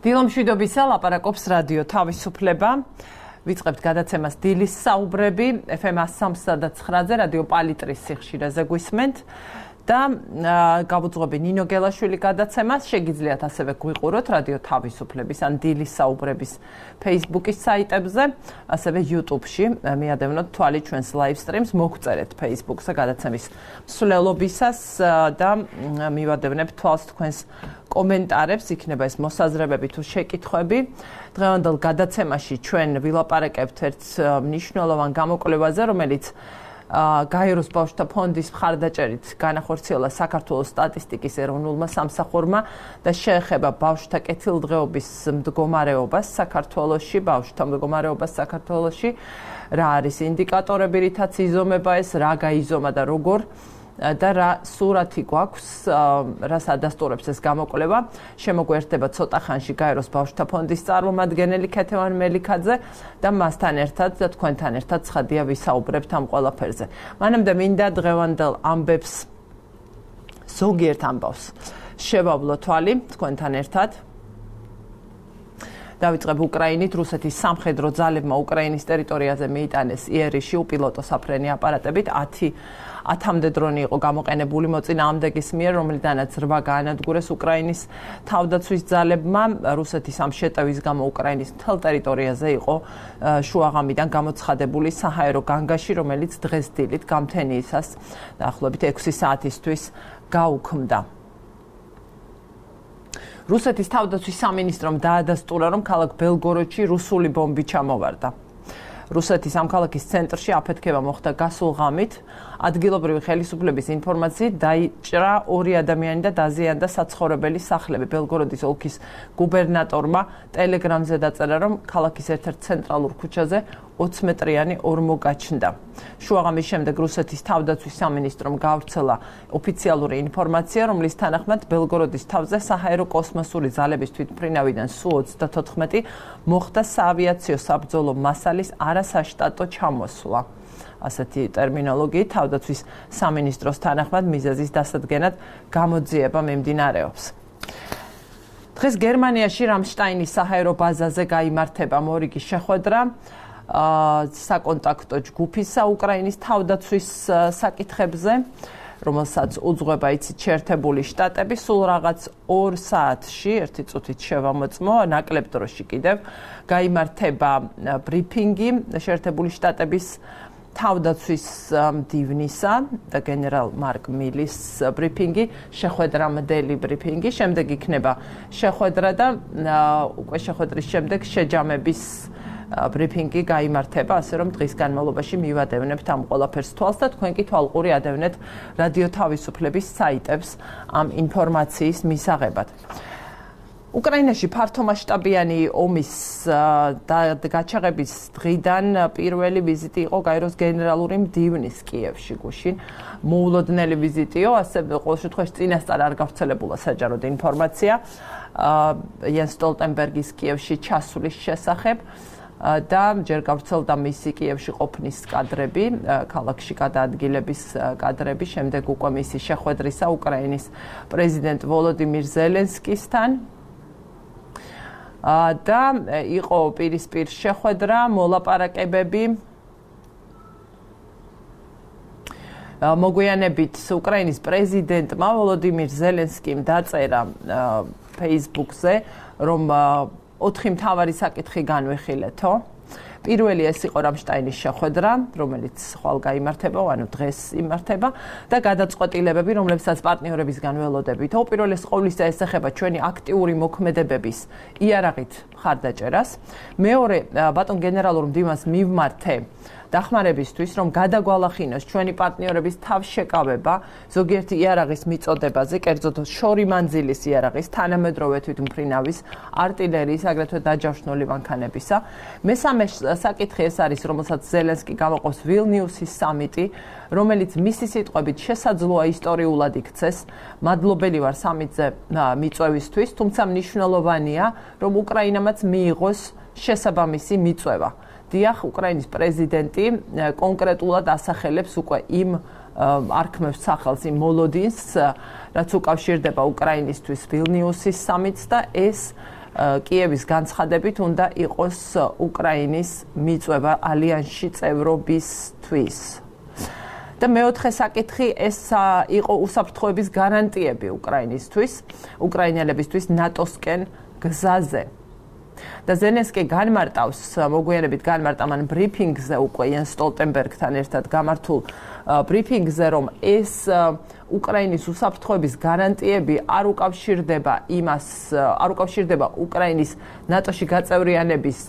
დილომშვიდობისა, ლაპარაკობს რადიო თავისუფლება. ვიწყებთ გადაცემას დილის საუბრები FM 103.9-ზე რადიო პალიტრის სიხშირეზე გვისმენთ და გავუძღვები ნინო გელაშვილი გადაცემას. შეგიძლიათ ასევე გვიყუროთ რადიო თავისუფლების ან დილის საუბრების Facebook-ის საიტებზე, ასევე YouTube-ში. მიადევნოთ თვალი ჩვენს live streams, მოგწერეთ Facebook-ზე გადაცემის მსვლელობისას და მივადევნებ თვალს თქვენს კომენტარებს, იქნება ეს მოსაზრებები თუ შეკითხვები. დღევანდელ გადაცემაში ჩვენ ვილაპარაკებთ ერთ მნიშვნელოვან გამოკვლევაზე, რომელიც გაეროს ბავშვთა ფონდის მხარდაჭერით განახორციელა საქართველოს სტატისტიკის ეროვნულმა სამსახურმა და შეეხება ბავშვთა კეთილდღეობის მდგომარეობას საქართველოში, ბავშვთა მდგომარეობას საქართველოში, რა არის ინდიკატორები, რითაც იზომება ეს, რა გაიზომა და როგორ და რა სურათი გვაქვს, რას ადასტურებს ეს გამოკვლევა. შემოგვერთდება ცოტა ხანში გაეროს ბავშვთა ფონდის წარმომადგენელი ქეთევან მელიქაძე და მასთან ერთად და თქვენთან ერთად ცხადია ვისაუბრებთ ამ ყველაფერზე. მანამდე მინდა დღევანდელ ამბებს ზოგიერთ ამბავს შევავლო თვალი თქვენთან ერთად. დავიწყებ უკრაინით. რუსეთის სამხედრო ძალებმა უკრაინის ტერიტორიაზე მიიტანეს იერიში უპილოტო საფრენი აპარატებით 10-მდე დრონი იყო გამოყენებული მოწინააღმდეგის მიერ, რომლიდანაც 8 გაანადგურეს უკრაინის თავდაცვის ძალებმა. რუსეთის ამ შეტევის გამო უკრაინის მთელ ტერიტორიაზე იყო შუაღამიდან გამოცხადებული საჰაერო განგაში, რომელიც დღეს დილით გამთენიისას დაახლოებით 6 საათისთვის გაუქმდა. რუსეთის თავდაცვის სამინისტრომ დაადასტურა, რომ ქალაქ ბელგოროდში რუსული ბომბი ჩამოვარდა. რუსეთის ამ ქალაქის ცენტრში აფეთქება მოხდა გასულ ღამით. ადგილობრივი ხელისუფლების ინფორმაციით დაიჭრა 2 ადამიანი და დაზიანდა საცხოვრებელი სახლები. ბელგოროდის ოლქის გუბერნატორმა ტელეგრამზე დაწერა, რომ ქალაქის ერთ-ერთ ცენტრალურ ქუჩაზე 20 მეტრიანი ორმო გაჩნდა. შუაღამის შემდეგ რუსეთის თავდაცვის სამინისტრომ გაავრცელა ოფიციალური ინფორმაცია, რომლის თანახმად ბელგოროდის თავზე საჰაერო კოსმოსური ძალების თვითმფრინავიდან Su-34 მოხდა საავიაციო საბრძოლო მასალის არასაშტატო ჩამოსვლა. ასეთი ტერმინოლოგიით თავდაცვის სამინისტროს თანახმად მიზეზის დასადგენად გამოძიება მიმდინარეობს. დღეს გერმანიაში რამშტაინის საჰაერო ბაზაზე გაიმართება მორიგი შეხვედრა საკონტაქტო ჯგუფისა უკრაინის თავდაცვის საკითხებზე, რომელსაც უძღვება იცით შეერთებული შტატები. სულ რაღაც 2 საათში, 1 წუთით შევამოწმო, ნაკლებ დროში კიდევ გაიმართება ბრიფინგი შეერთებული შტატების თავდაცვის მდივნისა და გენერალ მარკ მილის ბრიფინგი, შეხვედრამდელი ბრიფინგი, შემდეგ იქნება შეხვედრა და უკვე შეხვედრის შემდეგ შეჯამების ბრიფინგი გაიმართება, ასე რომ დღის განმავლობაში მივადევნებთ ამ ყველაფერს თვალს და თქვენ კი თვალყური ადევნეთ რადიო თავისუფლების საიტებს ამ ინფორმაციის მისაღებად. უკრაინაში ფართომასშტაბიანი ომის გაჩაღების დღიდან პირველი ვიზიტი იყო გაეროს გენერალური მდივნის კიევში გუშინ. მოულოდნელი ვიზიტიო, ასე ყოველ შემთხვევაში წინასწარ არ გავრცელებულა საჯაროდ ინფორმაცია იან სტოლტენბერგის კიევში ჩასვლის შესახებ და ჯერ გავრცელდა მისი კიევში ყოფნის კადრები, ქალაქში გადაადგილების კადრები, შემდეგ უკვე მისი შეხვედრისა უკრაინის პრეზიდენტ ვოლოდიმირ ზელენსკისთან. და იყო პირისპირ შეხვედრა, მოლაპარაკებები. მოგვიანებით უკრაინის პრეზიდენტმა ვოლოდიმირ ზელენსკიმ დაწერა Facebook-ზე, რომ 4 მთავარი საკითხი განვიხილეთო. პირველი ეს იყო რამშტაინის შეხვედრა, რომელიც ხვალ გაიმართება, ანუ დღეს იმართება და გადაწყვეტილებები, რომლებსაც პარტნიორებისგან ველოდებით. უპირველეს ყოვლისა ეს ეხება ჩვენი აქტიური მოქმედებების იარაღით მხარდაჭერას. მეორე, ბატონ გენერალურ მდივანს მივმართე დახმარებისთვის, რომ გადაგვალახინოს ჩვენი პარტნიორების თავშეკავება ზოგიერთი იარაღის მიწოდებაზე, კერძოდ შორი მანძილის იარაღის, თანამედროვე თვითმფრინავის, არტილერიის, აგრეთვე დაჯავშნული მანქანებისა. მესამე საკითხი ეს არის, რომელსაც ზელენსკი გამოყობს ვილნიუსის სამიტი, რომელიც მისი სიტყვებით შესაძლოა ისტორიულად იქცეს. მადლობელი ვარ სამიტზე მიწვევისთვის, თუმცა მნიშვნელოვანია, რომ უკრაინამაც მიიღოს შესაბამისი მიწვევა. დიახ, უკრაინის პრეზიდენტი კონკრეტულად ასახელებს უკვე იმ არქმევს სახელს იმ მოლოდინს, რაც უკავშირდება უკრაინისთვის ვილნიუსის სამიტს და ეს კიევის განცხადებით უნდა იყოს უკრაინის მიწვევა ალიანსში წევრობისთვის. და მეოთხე საკითხი ეს იყო უსაფრთხოების გარანტიები უკრაინისთვის, უკრაინელებისთვის ნატოსკენ გზაზე. და ზელენსკი განმარტავს, მოგვიანებით განმარტა მან ბრიფინგზე უკვე იან სტოლტენბერგთან ერთად გამართულ ბრიფინგზე, რომ ეს უკრაინის უსაფრთხოების გარანტიები არ უკავშირდება უკრაინის ნატოში გაწევრიანების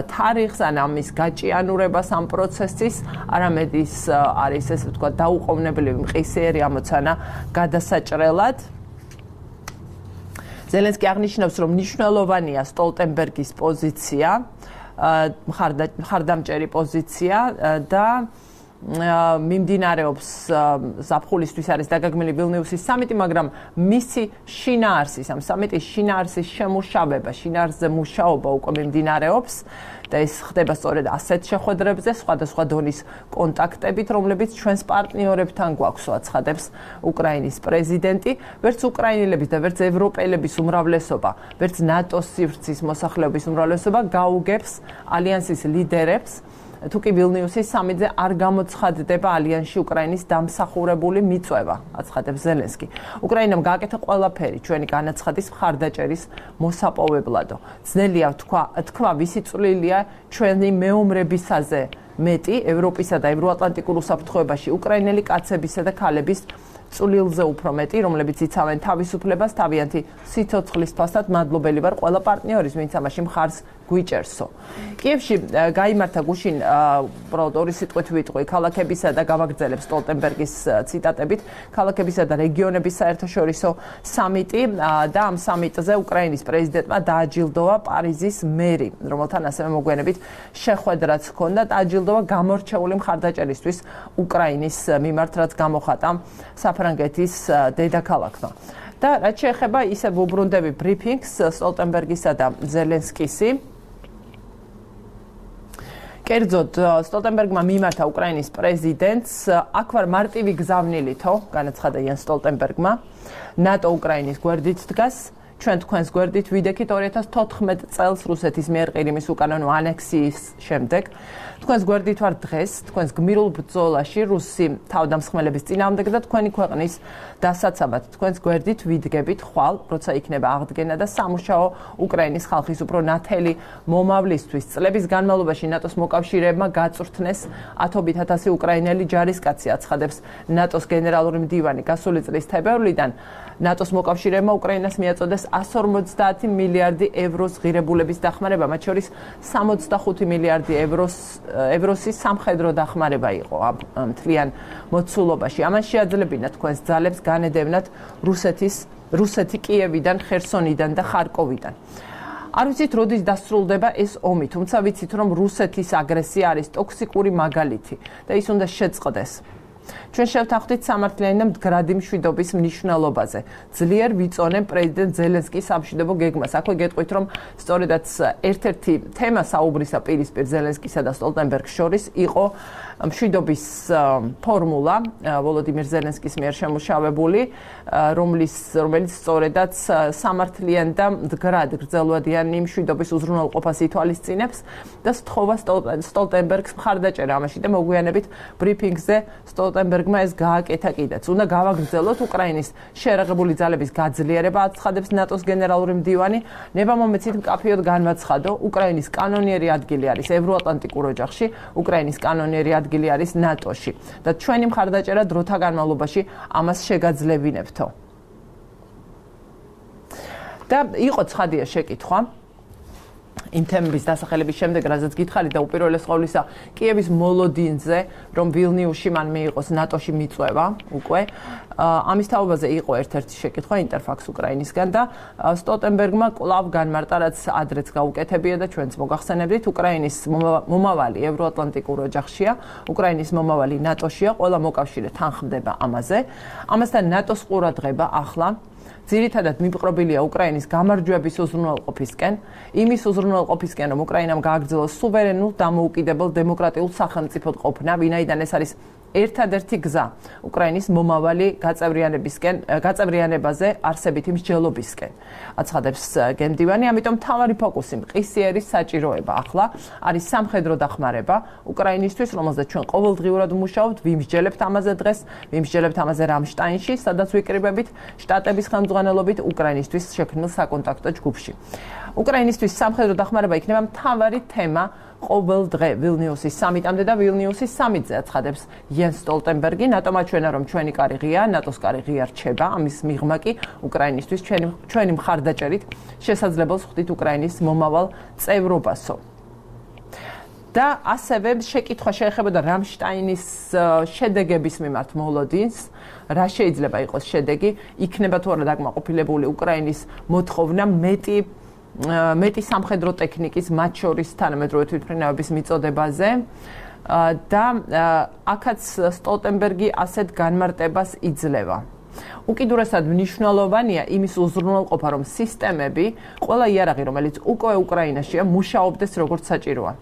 თარიღს ან ამის გაჭიანურებას ამ პროცესის, არამედ ის არის ესე ვთქვათ დაუყოვნებლივი მყისიერი ამოცანა გადასაჭრელად. ზელენსკი აღნიშნავს, რომ მნიშვნელოვანია სტოლტენბერგის პოზიცია, მხარდამჭერი პოზიცია და მიმდინარეობს ზაფხულისთვის არის დაგეგმილი ვილნიუსის სამიტი, მაგრამ მისი შინაარსის, ამ სამიტის შინაარსის შემუშავება, შინაარსზე მუშაობა უკვე მიმდინარეობს და ეს ხდება სწორედ ასეთ შეხვედრებზე, სხვადასხვა დონის კონტაქტებით, რომლებიც ჩვენს პარტნიორებთან გვაქვს, აცხადებს უკრაინის პრეზიდენტი. ვერც უკრაინელების და ვერც ევროპელების უმრავლესობა, ვერც ნატოს სივრცის მოსახლეობის უმრავლესობა გაუგებს ალიანსის ლიდერებს, თუ კი ვილნიუსის სამიტზე არ გამოცხადდება ალიანსში უკრაინის დამსახურებული მიწვევა, აცხადებს ზელენსკი. უკრაინამ გააკეთა ყველაფერი ჩვენი განაცხადის მხარდაჭერის მოსაპოვებლადო. ძნელია თქვა, ვისი წვლილია ჩვენი მეომრებისაზე მეტი ევროპისა და ევროატლანტიკურ უსაფრთხოებაში უკრაინელი კაცებისა და ქალების წვლილზე უფრო მეტი, რომლებიც იცავენ თავისუფლებას, თავიანთი სიცოცხლის ფასად. მადლობელი ვარ ყველა პარტნიორის, ვინც ამაში მხარს გვიჭერსო. კიევში გაიმართა გუშინ უბრალოდ ორი სიტყვით ვიტყვი ქალაქებისა და გავაგრძელებ სტოლტენბერგის ციტატებით ქალაქებისა და რეგიონების საერთაშორისო სამიტი და ამ სამიტზე უკრაინის პრეზიდენტმა დააჯილდოვა პარიზის მერი, რომელთან ასევე მოგვიანებით შეხვედრაც ჰქონდა. დააჯილდოვა გამორჩეული მხარდაჭერისთვის უკრაინის მიმართ, რაც გამოხატა საფრანგეთის დედაქალაქმა. და რაც შეეხება ისე ვუბრუნდები ბრიფინგს სტოლტენბერგისა და ზელენსკისი. კერძოდ სტოლტენბერგმა მიმართა უკრაინის პრეზიდენტს, აქ ვარ მარტივი გზავნილითო, განაცხადა იან სტოლტენბერგმა, ნატო უკრაინის გვერდით დგას, ჩვენ თქვენს გვერდით ვიდექით 2014 წელს რუსეთის მიერ ყირიმის უკანონო ანექსიის შემდეგ. თქვენს გვერდით ვარ დღეს, თქვენს გმირულ ბრძოლაში რუსი თავდამსხმელების წინააღმდეგ და თქვენი ქვეყნის დასაცავად. თქვენს გვერდით ვიდგებით ხვალ, როცა იქნება აღდგენა და სამუშაო უკრაინის ხალხის უფრო ნათელი მომავლისთვის. წლების განმავლობაში ნატოს მოკავშირეებმა გაწვრთნეს 10,000 უკრაინელი ჯარისკაცი, აცხადებს ნატოს გენერალური მდივანი. გასული წლის თებერვლიდან ნატოს მოკავშირეებმა უკრაინას მიაწოდეს 150 მილიარდი ევროს ღირებულების დახმარება, მათ შორის 65 მილიარდი ევროსის სამხედრო დახმარება იყო მთლიან მოცულობაში. ამან შეაძლებინა თქვენს ძალებს განედევნათ რუსეთი კიევიდან, ხერსონიდან და ხარკოვიდან. არ ვიცით, როდის დასრულდება ეს ომი, თუმცა ვიცით, რომ რუსეთის აგრესია არის ტოქსიკური მაგალითი და ის უნდა შეწყდეს. ჩვენ შევთანხმდით სამართლიანი და მდგრადი მშვიდობის მნიშვნელობაზე. ძლიერ ვიწონებ პრეზიდენტ ზელენსკის სამშვიდობო გეგმას. აქვე გეტყვით, რომ სწორედაც ერთ-ერთი თემა საუბრისა პირისპირ ზელენსკისა და სტოლტენბერგს შორის იყო მშვიდობის ფორმულა ვოლოდიმირ ზელენსკის მიერ შემუშავებული, რომელიც სწორედაც სამართლიანი და მდგრად გრძელვადიანი მშვიდობის უზრუნველყოფას ითვალისწინებს და სთხოვა სტოლტენბერგს მხარდაჭერა ამაში და მოგვიანებით ბრიფინგზე სტოლტენბერგმა ეს გააკეთა კიდეც. უნდა გავაგრძელოთ უკრაინის შეერაღებული ძალების გაძლიერება, აცხადებს ნატოს გენერალური მდივანი. ნებამომეცით მკაფიოდ განვაცხადო, უკრაინის კანონიერი ადგილი არის ევროატლანტიკურ ოჯახში, უკრაინის კანონიერი ადგილი არის ნატოში და ჩვენი მხარდაჭერა დროთა განმავლობაში ამას შეგაძლებინებთო. და იყო ცხადია შეკითხვა იმ თემების დასახელების შემდეგ, რაზეც გითხარით და უპირველეს ყოვლისა კიევის მოლოდინზე, რომ ვილნიუსში მან მიიღოს ნატოში მიწვევა უკვე. ამის თაობაზე იყო ერთ-ერთი შეკითხვა ინტერფაქს უკრაინისგან და სტოლტენბერგმა კვლავ განმარტა, რაც ადრეც გაუკეთებია და ჩვენც მოგახსენებდით, უკრაინის მომავალი ევროატლანტიკურ ოჯახშია, უკრაინის მომავალი ნატოშია, ყველა მოკავშირე თანხმდება ამაზე. ამასთან ნატოს ყურადღება ახლა ძირითადად მიპყრობილია უკრაინის გამარჯვების უზრუნველყოფისკენ, იმის უზრუნველყოფისკენ, რომ უკრაინამ გააგრძელოს სუვერენულ, დამოუკიდებელ დემოკრატიულ სახელმწიფოდ ყოფნა, ვინაიდან ეს არის ერთადერთი გზა უკრაინის მომავალი გაწევრიანებაზე არსებითი მსჯელობისკენ. აცხადებს გენდივანი, ამიტომ მთავარი ფოკუსი მყისიერის საჭიროება ახლა არის სამხედრო დახმარება უკრაინისთვის, რომელზეც ჩვენ ყოველდღიურად ვმუშაობთ, ვიმსჯელებთ ამაზე დღეს, ვიმსჯელებთ ამაზე რამშტაინში, სადაც ვიკრიბებით შტატების ხელმძღვანელობით უკრაინისთვის შექმნილ საკონტაქტო ჯგუფში. უკრაინისთვის სამხედრო დახმარება იქნება მთავარი თემა ყოველ დღე ვილნიუსის სამიტამდე და ვილნიუსის სამიტზე აცხადებს იენს სტოლტენბერგი. ნატომ აჩვენა, რომ ჩვენი კარი ღია, ნატოს კარი ღია რჩება, ამის მიღმა კი უკრაინისთვის ჩვენი მხარდაჭერით შესაძლებელს ხვდით უკრაინის მომავალ წევრობასო. და ასევე შეკითხვა შეეხებოდა რამშტაინის შედეგების მიმართ მოლოდინს, რა შეიძლება იყოს შედეგი, იქნება თუ არა დაკმაყოფილებული უკრაინის მოთხოვნა მეტი სამხედრო ტექნიკის, მათ შორის თანამედროვე თვითმფრინავების მიწოდებაზე და აქაც სტოლტენბერგი ასეთ განმარტებას იძლევა. უკიდურესად მნიშვნელოვანია იმის უზრუნველყოფა, რომ სისტემები, ყველა იარაღი, რომელიც უკვე უკრაინაშია, მუშაობდეს როგორც საჭიროა.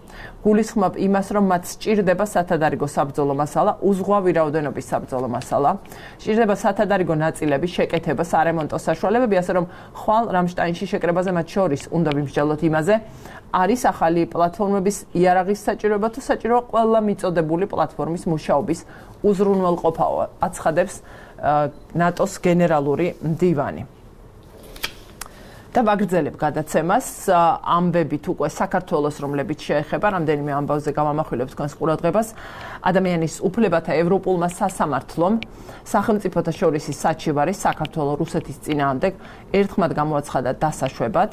გულისხმობ იმას, რომ მათ სჭირდება სათადარიგო საბრძოლო მასალა, უზღვავი რაოდენობის საბრძოლო მასალა, სჭირდება სათადარიგო ნაწილების შეკეთება, სარემონტო საშუალებები, ასე რომ ხვალ რამშტაინში შეკრებაზე მათ შორის უნდა ვიმსჯელოთ იმაზე, არის ახალი პლატფორმების იარაღის საჭიროება თუ საჭიროა ყველა მიწოდებული პლატფორმის მუშაობის უზრუნველყოფაო, აცხადებს ნატოს გენერალური მდივანი. და ვაგრძელებ გადაცემას ამბებით უკვე საქართველოს, რომლებიც შეეხება რამდენიმე ამბავზე გავამახვილებ თქვენს ყურადღებას. ადამიანის უფლებათა ევროპულმა სასამართლომ სახელმწიფოთა შორის საჩივარი საქართველოს რუსეთის წინააღმდეგ ერთხმად გამოაცხადა დასაშვებად.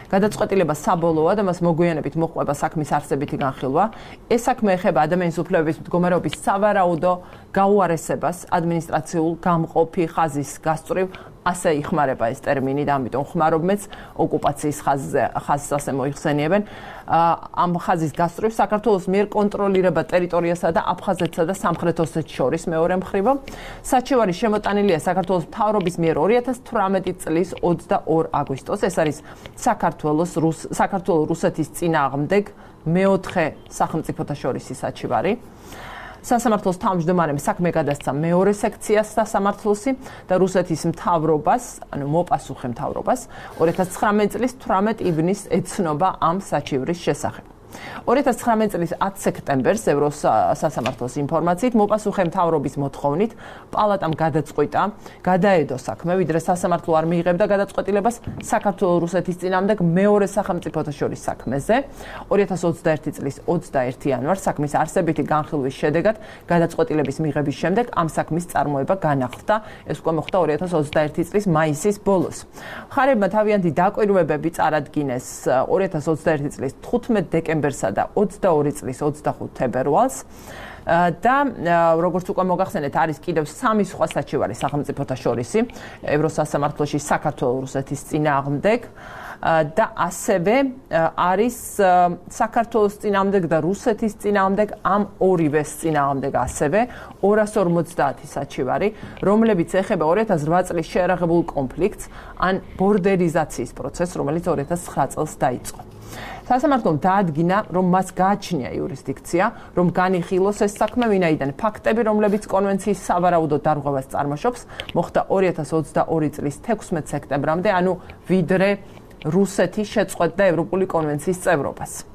გადაწყვეტილება საბოლოოა და მას მოგვიანებით მოჰყვება საქმის არსებითი განხილვა. ეს საქმე ეხება ადამიანის უფლებების მდგომარეობის სავარაუდო გაუარესებას ადმინისტრაციულ გამყოფი ხაზის გასწვრივ, ასე იხმარება ეს ტერმინი და ამიტომ ხმარობ მეც ოკუპაციის ხაზს ასე მოიხსენიებენ. ამ ხაზის გასწვრივ საქართველოს მიერ კონტროლირება ტერიტორიასა და აფხაზეთსა და სამხრეთ ოსეთს შორის მეორე მხრივ. საჩივარი შემოტანილია საქართველოს მთავრობის მიერ 2018 წლის 22 აგვისტოს. ეს არის საქართველოს რუსეთის წინააღმდეგ მეოთხე სახელმწიფოთა შორისი საჩივარი. სასამართლოს თავმჯდომარემ საქმე გადასცა მეორე სექციას სასამართლოსი და რუსეთის მთავრობას, ანუ მოპასუხე მთავრობას 2019 წლის 18 ივნისს ეცნობა ამ საჩივრის შესახებ. 2019 წლის 10 სექტემბერს ევროსასამართლოს ინფორმაციით მოპასუხე მთავრობის მოთხოვნით პალატამ გადაწყვიტა გადაედო საქმე, ვიდრე სასამართლო არ მიიღებდა გადაწყვეტილებას საქართველოს რუსეთის წინააღმდეგ მეორე სახელმწიფოთა შორის საქმეზე. 2021 წლის 21 იანვარს საქმის არსებითი განხილვის შედეგად გადაწყვეტილების მიღების შემდეგ ამ საქმის წარმოება განახლდა. ეს უკვე მოხდა 2021 წლის მაისის ბოლოს. მხარეებმა თავიანთი დაკვირვებები წარადგინეს 2021 წლის 15 დეკემბერსა და 22 წლის 25 თებერვალს და როგორც უკვე მოგახსენეთ, არის კიდევ 3 სხვა საჩივარი სახელმწიფოთა შორისი ევროსასამართლოში საქართველოს რუსეთის წინააღმდეგ და ასევე არის საქართველოს წინააღმდეგ და რუსეთის წინააღმდეგ ამ ორივეს წინააღმდეგ ასევე 250 საჩივარი, რომლებიც ეხება 2008 წლის შეერაღებულ კონფლიქტს ან ბორდერიზაციის პროცესს, რომელიც 2009 წელს დაიწყო. სასამართლომ დაადგინა, რომ მას გააჩნია იურისდიქცია, რომ განიხილოს ეს საქმე, ვინაიდან ფაქტები, რომლებიც კონვენციის სავარაუდო დარღვევას წარმოშობს, მოხდა 2022 წლის 16 სექტემბრამდე, ანუ ვიდრე რუსეთი შეწყვეტდა ევროპული კონვენციის წევრობას.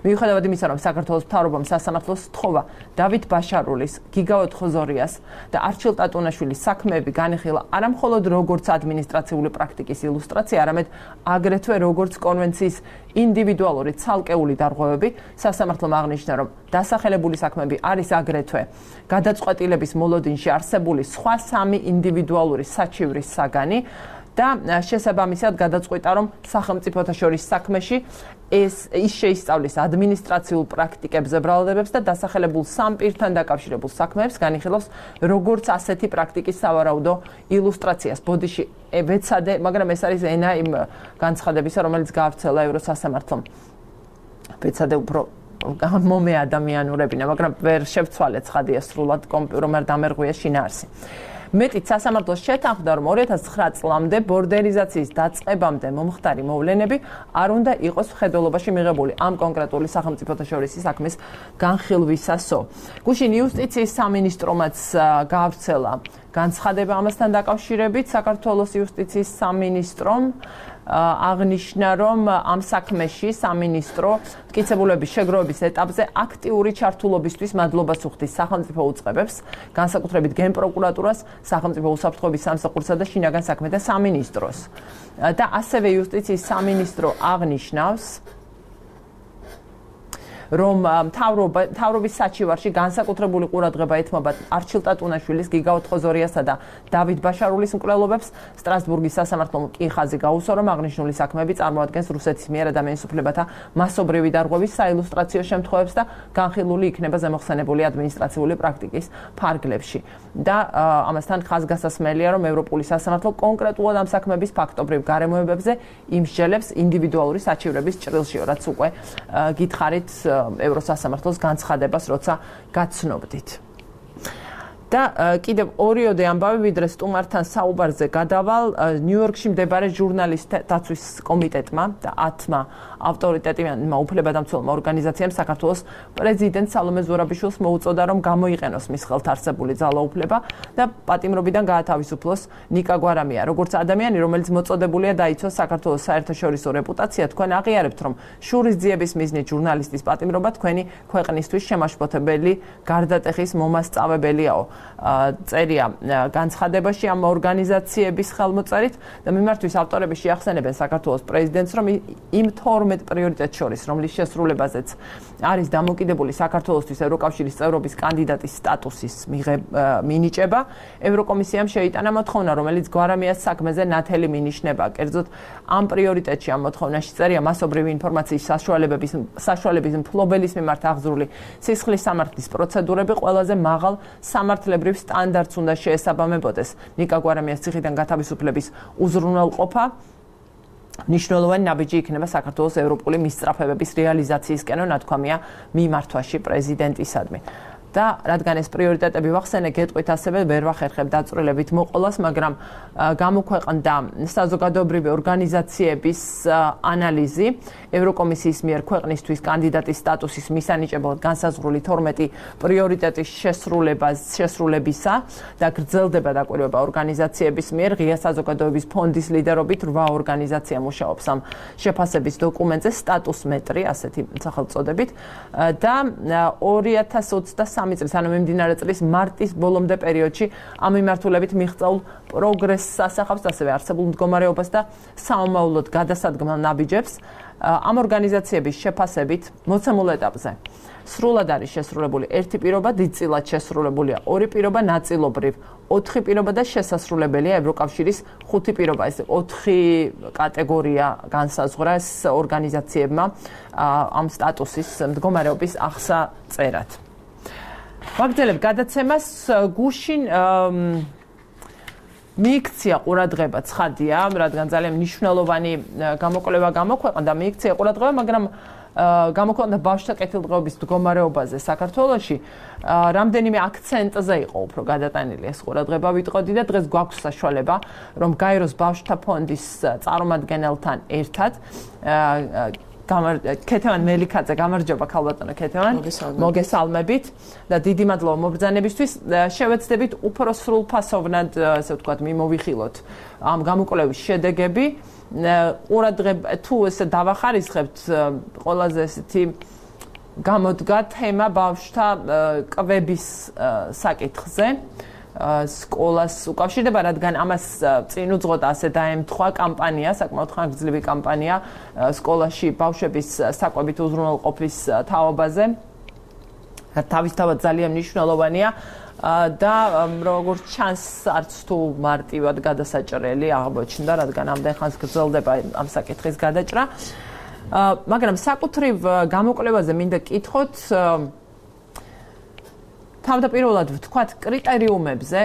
მიუხედავად იმისა, რომ საქართველოს მთავრობამ სასამართლოს სთხოვა დავით ბაშარულის, გიგაოთ ხოზორიას და არჩილ ტატუნაშვილის საქმეები განიხილა არა მხოლოდ როგორც ადმინისტრაციული პრაქტიკის ილუსტრაცია, არამედ აგრეთვე როგორც კონვენციის ინდივიდუალური ცალკეული დარღვევები, სასამართლომ აღნიშნა, რომ დასახელებული საქმეები არის აგრეთვე გადაწყვეტილების მოლოდინში არსებული სხვა 3 ინდივიდუალური საჩივრის საგანი და შესაბამისად გადაწყვიტა, რომ სახელმწიფოთა შორის საქმეში ის შეისწავლის ადმინისტრაციულ პრაქტიკებზე ბრალდებებს და დასახელებულ სამ პირთან დაკავშირებულ საქმეებს განიხილავს როგორც ასეთი პრაქტიკის სავარაუდო ილუსტრაციას. ბოდიში ვეცადე, მაგრამ ეს არის ენა იმ განცხადებისა, რომელიც გაავრცელა ევროსასამართლომ. ვეცადე უფრო მომე ადამიანურებინა, მაგრამ ვერ შევცვალე ცხადია სრულად კომპიუტერმა დამერღვია შინაარსი. მეტიც სასამართლოს შეთანხმდა, რომ 2009 წლამდე ბორდერიზაციის დაწყებამდე მომხდარი მოვლენები არ უნდა იყოს მხედველობაში მიღებული ამ კონკრეტული სახელმწიფოთა შორისი საქმის განხილვისასო. გუშინ იუსტიციის სამინისტრომაც გაავრცელა განცხადება ამასთან დაკავშირებით. საქართველოს იუსტიციის სამინისტრომ აღნიშნა, რომ ამ საქმეში სამინისტრო მტკიცებულების შეგროვების ეტაპზე აქტიური ჩართულობისთვის მადლობას უხდის სახელმწიფო უწყებებს, განსაკუთრებით გენპროკურატურას, სახელმწიფო უსაფრთხოების სამსახურსა და შინაგან საქმეთა სამინისტროს. და ასევე იუსტიციის სამინისტრო აღნიშნავს, რომ მთავრობის საჩივარში განსაკუთრებული ყურადღება ეთმობა არჩილ ტატუნაშვილის, გიგა ოთხოზორიასა და დავით ბაშარულის მკვლელობებს. სტრასბურგის სასამართლომ კი ხაზი გაუსვა, რომ აღნიშნული საქმეები წარმოადგენს რუსეთის მიერ ადამიანის უფლებათა მასობრივი დარღვევის საილუსტრაციო შემთხვევებს და განხილული იქნება ზემოხსენებული ადმინისტრაციული პრაქტიკის ფარგლებში. და ამასთან ხაზგასასმელია, რომ ევროპული სასამართლო კონკრეტულად ამ საქმეების ფაქტობრივ გარემოებებზე იმსჯელებს ინდივიდუალური საჩივრების ჭრილში, რაც უკვე გითხარით ევროსასამართლოს განცხადებას, როცა გაცნობდით. და კიდევ ორიოდე ამბავი, ვიდრე სტუმართან საუბარზე გადავალ, ნიუ-იორკში მდებარე ჟურნალისტთა დაცვის კომიტეტმა და 10-მა ავტორიტეტებმა უფლებადამცველმა ორგანიზაციამ საქართველოს პრეზიდენტ სალომე ზურაბიშვილს მოუწოდა, რომ გამოიყენოს მის ხელთ არსებული ძალაუფლება და პატიმრობიდან გაათავისუფლოს ნიკა გვარამია. როგორც ადამიანი, რომელიც მოწოდებულია დაიცვას საქართველოს საერთაშორისო რეპუტაცია, თქვენ აღიარებთ, რომ შურისძიების მიზნით ჟურნალისტის პატიმრობა თქვენი ქვეყნისთვის შემაშფოთებელი გარდატეხის მომასწავებელიაო. წერია განცხადებაში ამ ორგანიზაციების ხელმოწერით და მიმართვის ავტორები შეახსენებენ საქართველოს პრეზიდენტს, რომ იმ 12 პრიორიტეტს შორის, რომლის შესრულებაზეც არის დამოკიდებული საქართველოსთვის ევროკავშირის წევრობის კანდიდატის სტატუსის მინიჭება, ევროკომისიამ შეიტანა მოთხოვნა, რომელიც გვარამიას საქმეზე ნათელი მინიშნება. კერძოდ, ამ პრიორიტეტში ამ მოთხოვნაში წერია მასობრივი ინფორმაციის საშუალების მფლობელის მიმართ აღზრული სისხლის სამართლის პროცედურები ყველაზე მაღალ სამართლებრივ სტანდარტს უნდა შეესაბამებოდეს. ნიკა გვარამიას ციხიდან გათავისუფლების უზრუნველყოფა მნიშვნელოვანი ნაბიჯი იქნება საქართველოს ევროპული მისწრაფებების რეალიზაციისკენ, ნათქვამია მიმართვაში პრეზიდენტისადმი. და რადგან ეს პრიორიტეტები ვახსენე, გეტყვით ასევე ვერ ვახერხებ დაწვრილებით მოყოლას, მაგრამ გამოქვეყნდა საზოგადოებრივი ორგანიზაციების ანალიზი ევროკომისიის მიერ ქვეყნისთვის კანდიდატის სტატუსის მისანიჭებლად განსაზღვრული 12 პრიორიტეტის შესრულებისა და გრძელდება დაკვირვება ორგანიზაციების მიერ. ღია საზოგადოების ფონდის ლიდერობით 8 ორგანიზაცია მუშაობს ამ შეფასების დოკუმენტზე, სტატუს მეტრი, ასეთი სახელწოდებით, და 2023 წლის, ანუ მიმდინარე წლის მარტის ბოლომდე პერიოდში ამ მიმართულებით მიღწეულ პროგრესს ასახავს, ასევე არსებულ მდგომარეობას და საომავლოდ გადასადგმელ ნაბიჯებს. ამ ორგანიზაციების შეფასებით მოცემულ ეტაპზე სრულად არის შესრულებული 1 პირობა, დიდწილად შესრულებულია 2 პირობა, ნაწილობრივ 4 პირობა და შესასრულებელია ევროკავშირის 5 პირობა. ეს 4 კატეგორია განსაზღვრეს ორგანიზაციებმა ამ სტატუსის მდგომარეობის აღსაწერად. ვაგრძელებ გადაცემას. გუშინ მიიქცია ყურადღება, ცხადია, რადგან ძალიან მნიშვნელოვანი გამოკვლევა გამოქვეყნდა, მიიქცია ყურადღება, მაგრამ გამოქვეყნდა ბავშვთა კეთილდღეობის მდგომარეობაზე საქართველოში. რამდენიმე აქცენტზე იყო უფრო გადატანილი ეს ყურადღება, ვიტყოდი და დღეს გვაქვს საშუალება, რომ გაეროს ბავშვთა ფონდის წარმომადგენელთან ერთად ქეთევან მელიქაძე, გამარჯობა ქალბატონო ქეთევან, მოგესალმებით და დიდი მადლობა მობრძანებისთვის. შევეცდებით უფრო სრულფასოვნად, ასე ვთქვათ, მიმოვიხილოთ ამ გამოკვლევის შედეგები. ყურადღება თუ ესე დავახარისხებთ, ყველაზე ესეთი გამოდგა თემა ბავშვთა კვების საკითხზე. სკოლას უკავშირდება, რადგან ამას წინ უძღოდა ასე დაემთხვა კამპანია, საკმაოდ ხანგრძლივი კამპანია სკოლაში ბავშვების საკვებით უზრუნველყოფის თაობაზე. თავისთავად ძალიან მნიშვნელოვანია და როგორც ჩანს, არც თუ მარტივად გადასაჭრელი აღმოჩნდა, რადგან ამდენ ხანს გრძელდება ამ საკითხის გადაჭრა. მაგრამ საკუთრივ გამოკვლევაზე მინდა კითხოთ, თავდაპირველად ვთქვათ, კრიტერიუმებზე,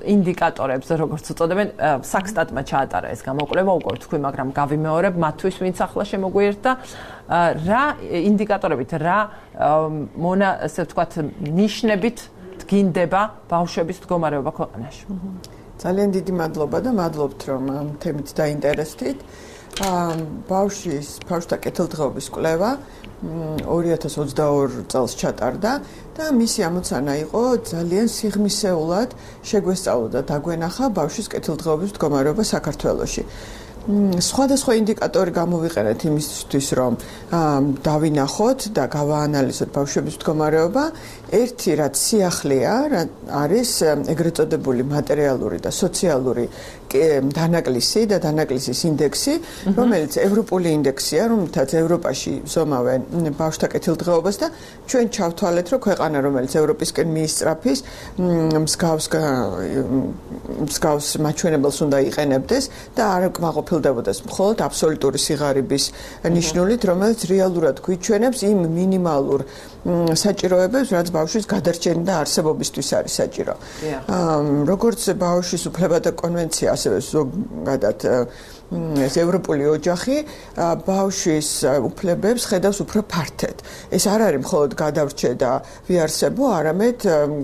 ინდიკატორებზე, როგორც უწოდებენ, საქსტატმა ჩაატარა ეს გამოკვლევა, უკვე თქვი, მაგრამ გავიმეორებ მათთვის, ვინც ახლა შემოგვიერთდა, რა ინდიკატორებით, რა ასე ვთქვათ, ნიშნებით დგინდება ბავშვების მდგომარეობა ქვეყანაში. ძალიან დიდი მადლობა და მადლობთ რომ ამ თემით დაინტერესდით. ბავშვთა კეთილდღეობის კვლევა 2022 წელს ჩატარდა და მისი ამოცანა იყო ძალიან სიღრმისეულად შეგვესწავლოთ და დაგვენახა ბავშვის კეთილდღეობის მდგომარეობა საქართველოში. სხვადასხვა ინდიკატორი გამოვიყენეთ იმისთვის, რომ დავინახოთ და გავაანალიზოთ ბავშვების მდგომარეობა. ერთი რაც სიახლეა, არის ეგრეთ წოდებული მატერიალური და სოციალური დანაკლისი და დანაკლისის ინდექსი, რომელიც ევროპული ინდექსია, რომელთაც ევროპაში ზომავენ ბავშვთა კეთილდღეობას და ჩვენ ჩავთვალეთ, რომ ქვეყანა, რომელიც ევროპისკენ მიისწრაფის, მსგავს მაჩვენებელს უნდა იყენებდეს და არ კმაყოფილდებოდეს მხოლოდ აბსოლუტური სიღარიბის ნიშნულით, რომელიც რეალურად გვიჩვენებს იმ მინიმალურ საჭიროებებს, რაც ბავშვის გადარჩენა და არსებობისთვის არის საჭირო. როგორც ბავშვის უფლებათა კონვენცია, ასევე ზოგადად ეს ევროპული ოჯახი ბავშვის უფლებებს ხედავს უფრო ფართედ. ეს არ არის მხოლოდ გადავრჩე და ვიარსებო, არამედ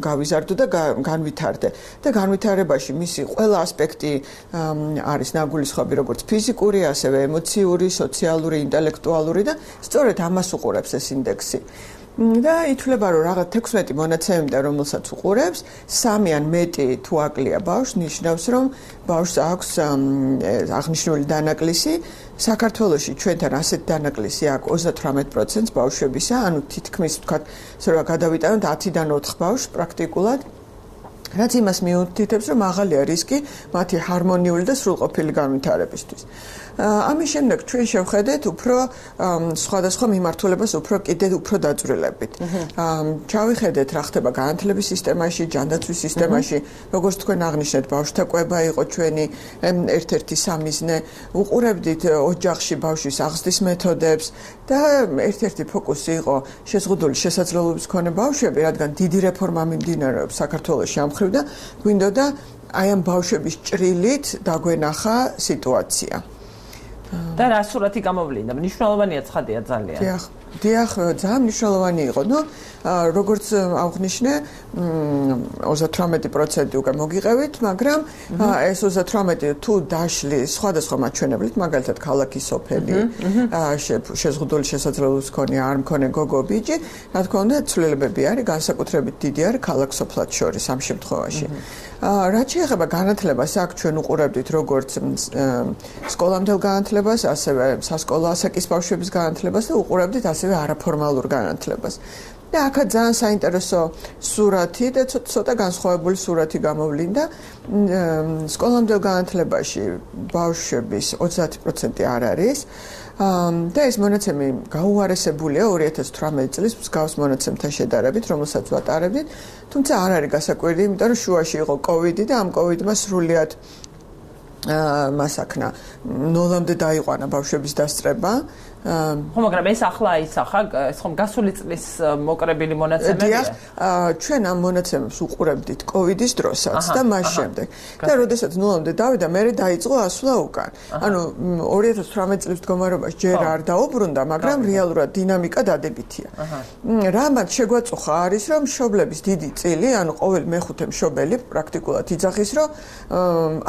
გავიზარდო და განვითარდე. და განვითარებაში მისი ყველა ასპექტი არის ნაგულისხმობი, როგორც ფიზიკური, ასევე ემოციური, სოციალური, ინტელექტუალური და სწორედ ამას უყურებს ეს ინდექსი. და ითვლება, რომ რაღაც 16 მონაცემიდან, რომელსაც უყურებს, 3 ან მეტი თუ აკლია ბავშვს, ნიშნავს, რომ ბავშვს აქვს აღნიშნული დანაკლისი. საქართველოში ჩვენთან ასეთი დანაკლისი აქვს 38% ბავშვებისა, ანუ თითქმის ვთქვათ, რომ გადავიტანოთ 10-დან 4 ბავშვს პრაქტიკულად. რაც იმას მიუთითებს, რომ მაღალია რისკი მათი ჰარმონიული და სრულყოფილი განვითარებისთვის. ამის შემდეგ ჩვენ შევხედეთ უფრო სხვადასხვა მიმართულებას კიდევ უფრო დაძვრილებით. ჩავიხედეთ რა ხდება განათლების სისტემაში, ჯანდაცვის სისტემაში, როგორც თქვენ აღნიშნეთ, ბავშვთა კვება იყო ჩვენი ერთ-ერთი სამიზნე. უყურებდით ოჯახში ბავშვის აღზრდის მეთოდებს და ერთ-ერთი ფოკუსი იყო შეზღუდული შესაძლებლობის მქონე ბავშვები, რადგან დიდი რეფორმა მიმდინარეობს საქართველოში ამ მხრივ და გვინდოდა აი ამ ბავშვების ჭრილით დაგვენახა სიტუაცია. და რა სურათი გამოვლინდა? მნიშვნელოვანია ცხადია ძალიან. დიახ, ძალიან მნიშვნელოვანი იყო. როგორც აღნიშნე, 38% უკვე მოგიყევით, მაგრამ ეს 38 თუ დაშლის სხვადასხვა მაჩვენებლით, მაგალითად ქალაქის სოფელი, შეზღუდული შესაძლებლობის მქონე, არ მქონე გოგო ბიჭი, რა თქმა უნდა, ცვლილებები არის, განსაკუთრებით დიდი არის ქალაქ სოფლად შორის ამ შემთხვევაში. რაც შეეხება განათლებას, აქ ჩვენ უყურებდით როგორც სკოლამდელ განათლებას, ასევე სასკოლო ასაკის ბავშვების განათლებას და უყურებდით ასევე არაფორმალურ განათლებას. და აქაც ძალიან საინტერესო სურათი და ცოტა განსხვავებული სურათი გამოვლინდა. სკოლამდელ განათლებაში ბავშვების 30% არ არის. და ეს მონაცემი გაუარესებულია 2018 წლის მსგავს მონაცემთან შედარებით, რომელსაც ვატარებდით, თუმცა არ არის გასაკვირი, იმიტომ რომ შუაში იყო კოვიდი და ამ კოვიდმა სრულიად მასაკნა ნოლამდე დაიყვანა ბავშვების დასწრება. ხო, მაგრამ ეს ახლა ისახა, ეს ხომ გასული წლის მოკრებილი მონაცემებია? დიახ, ჩვენ ამ მონაცემებს უყურებდით კოვიდის დროსაც და მას შემდეგ. და როდესაც ნულამდე დავიდა, მერე დაიწყო ასვლა უკან. ანუ 2018 წლის მდგომარეობაში ჯერ არ დაუბრუნდა, მაგრამ რეალურად დინამიკა დადებითია. რამაც შეგვაწუხა არის, რომ მშობლების დიდი წილი, ანუ ყოველ მეხუთე მშობელი პრაქტიკულად იძახის, რომ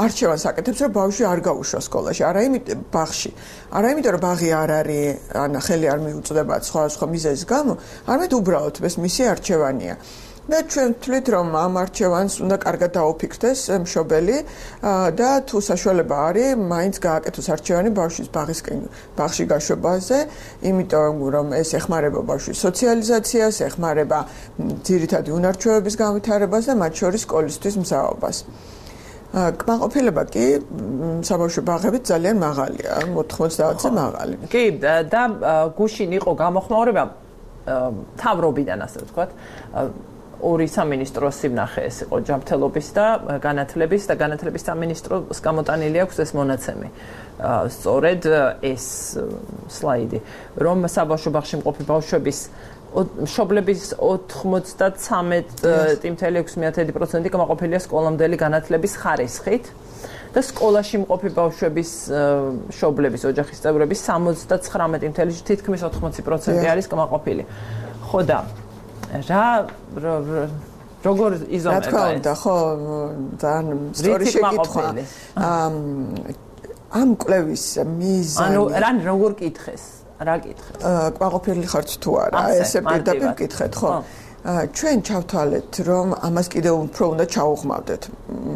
არჩევანს აკეთებს, რომ ბავშვი არ გაუშვა სკოლაში, არა იმიტომ ბაღში. არა იმიტომ, რომ ბაღი არ არის ან ხელი არ მიუწვდება სხვა მიზეზის გამო, არამედ უბრალოდ ეს მისი არჩევანია. და ჩვენ ვთვლით, რომ ამ არჩევანს უნდა კარგად დაუფიქრდეს მშობელი და თუ საშუალება არის, მაინც გააკეთოს არჩევანი ბავშვის ბაღში გაშვებაზე, იმიტომ რომ ეს ეხმარება ბავშვის სოციალიზაციას, ეხმარება ძირითადი უნარჩვევების განვითარებას და მათ შორის სკოლისთვის მზაობას. კმაყოფილება კი საბავშვო ბაღებით ძალიან მაღალია, 90-ზე მაღალი. კი, და გუშინ იყო გამოხმაურება მთავრობიდან, ასე ვთქვათ, ორი სამინისტროს სიმნახე ეს იყო ჯანმრთელობის და განათლების სამინისტროს გამოტანილი აქვს ეს მონაცემი. სწორედ ეს სლაიდი, რომ საბავშვო ბაღში მყოფი ბავშვების მშობლების 93.6% კმაყოფილია სკოლამდელი განათლების ხარისხით და სკოლაში მყოფი ბავშვების მშობლების ოჯახის წევრების 79.9 თითქმის 80% არის კმაყოფილი. ხო და როგორ იზომება ეს? რა თქმა უნდა, ხო, ძალიან სწორი შეკითხვა. ამ კვლევის მიზანი ანუ რან როგორ კითხეს? რა კითხეს? კმაყოფილი ხართ თუ არა? ესე პირდაპირ კითხეთ, ხო? ჩვენ ჩავთვალეთ, რომ ამას კიდევ უფრო უნდა ჩაუღმავდეთ.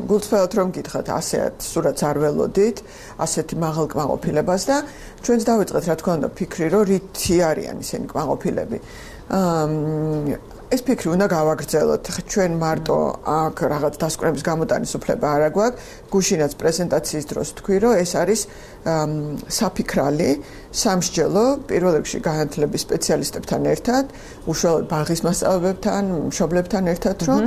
გულწრფელად რომ გითხრათ, ასეათ სურათს არ ველოდით, ასეთი მაღალ კმაყოფილებას და ჩვენც დავიწყეთ, რა თქმა უნდა, ფიქრი, რომ რითი არიან ისინი კმაყოფილები. ეს ფიქრი უნდა გავაგრძელოთ. ჩვენ მარტო აქ რაღაც დასკვნების გამოტანის უფლება არ აგვაქვს. გუშინაც პრეზენტაციის დროს თქვი, რომ ეს არის საფიქრალი, სამსჯელო, პირველ რიგში განათლების სპეციალისტებთან ერთად, უშუალოდ ბაღის მასწავლებლებთან, მშობლებთან ერთად, რომ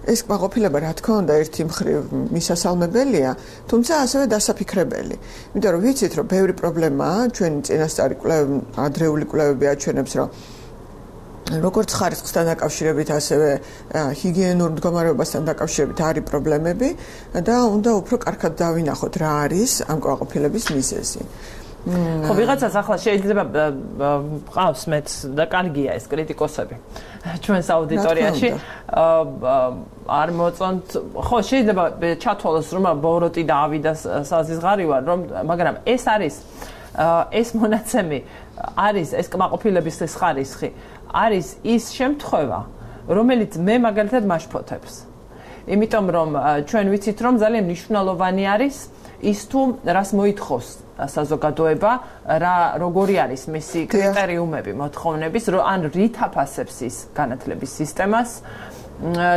ეს კმაყოფილება, რა თქმა უნდა, ერთი მხრივ მისასალმებელია, თუმცა ასევე დასაფიქრებელი. იმიტომ რომ ვიცით, რომ ბევრი პრობლემაა, ჩვენი წინასწარი კვლევები, ადრეული კვლევები აჩვენებს, რომ როგორც ხარისხთან დაკავშირებით, ასევე ჰიგიენურ მდგომარეობასთან დაკავშირებით არის პრობლემები და უნდა უფრო კარგად დავინახოთ რა არის ამ კმაყოფილების მიზეზი. ხო, ვიღაცას ახლა შეიძლება ყავს მეც და კარგია ეს კრიტიკოსები ჩვენს აუდიტორიაში არ მოწონთ. ხო, შეიძლება ჩათვალოს რომ ბოროტი და ავიდა საზღარი ვარ, რომ მაგრამ ეს არის ეს მონაცემი არის ეს კმაყოფილების ეს ხარისხი არის ის შემთხვევა, რომელიც მე მაგალითად მაშფოთებს. იმიტომ რომ ჩვენ ვიცით, რომ ძალიან მნიშვნელოვანი არის ის თუ რას მოითხოვს საზოგადოება, როგორი არის მისი კრიტერიუმები მოთხოვნების, ან რით აფასებს ის განათლების სისტემას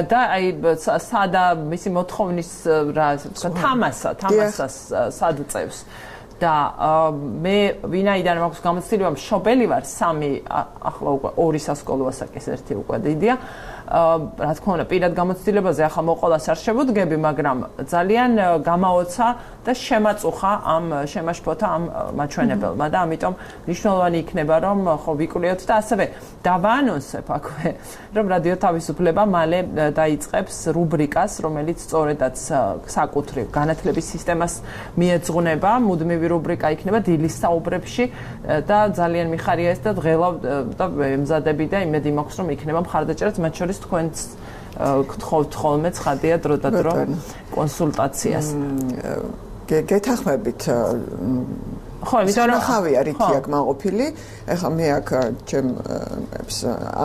და აი სადა მისი მოთხოვნის თამასას სად წევს. და მე ვინაიდან მაქვს გამოცდილება მშობელი ვარ, 3 ახლა უკვე 2 სასკოლო ასაკის, 1 უკვე დიდია. რა თქმა უნდა, პირად გამოცდილებაზე ახლა მოყოლას არ შევუდგები, მაგრამ ძალიან გამაოცა და შემაწუხა ამ შემაშფოთა ამ მაჩვენებელმა და ამიტომ მნიშვნელოვანი იქნება რომ ხო ვიკვლევთ და ასევე დავაანონსებ აქვე, რომ რადიო თავისუფლება მალე დაიწყებს რუბრიკას, რომელიც სწორედაც საკუთრივ განათლების სისტემას მიეძღვნება, მუდმივი რუბრიკა იქნება დილის საუბრებში და ძალიან მიხარია ეს და დღელავ და ემზადები და იმედი მაქვს რომ იქნება მხარდაჭერაც მათ შორის თქვენს გთხოვთ ხოლმე ცხადია დრო და დრო კონსულტაციას. გეთახმებით ხო, იმიტომ რომ ხავია რითია კმაყოფილი, ეხლა მე აქ ჩემ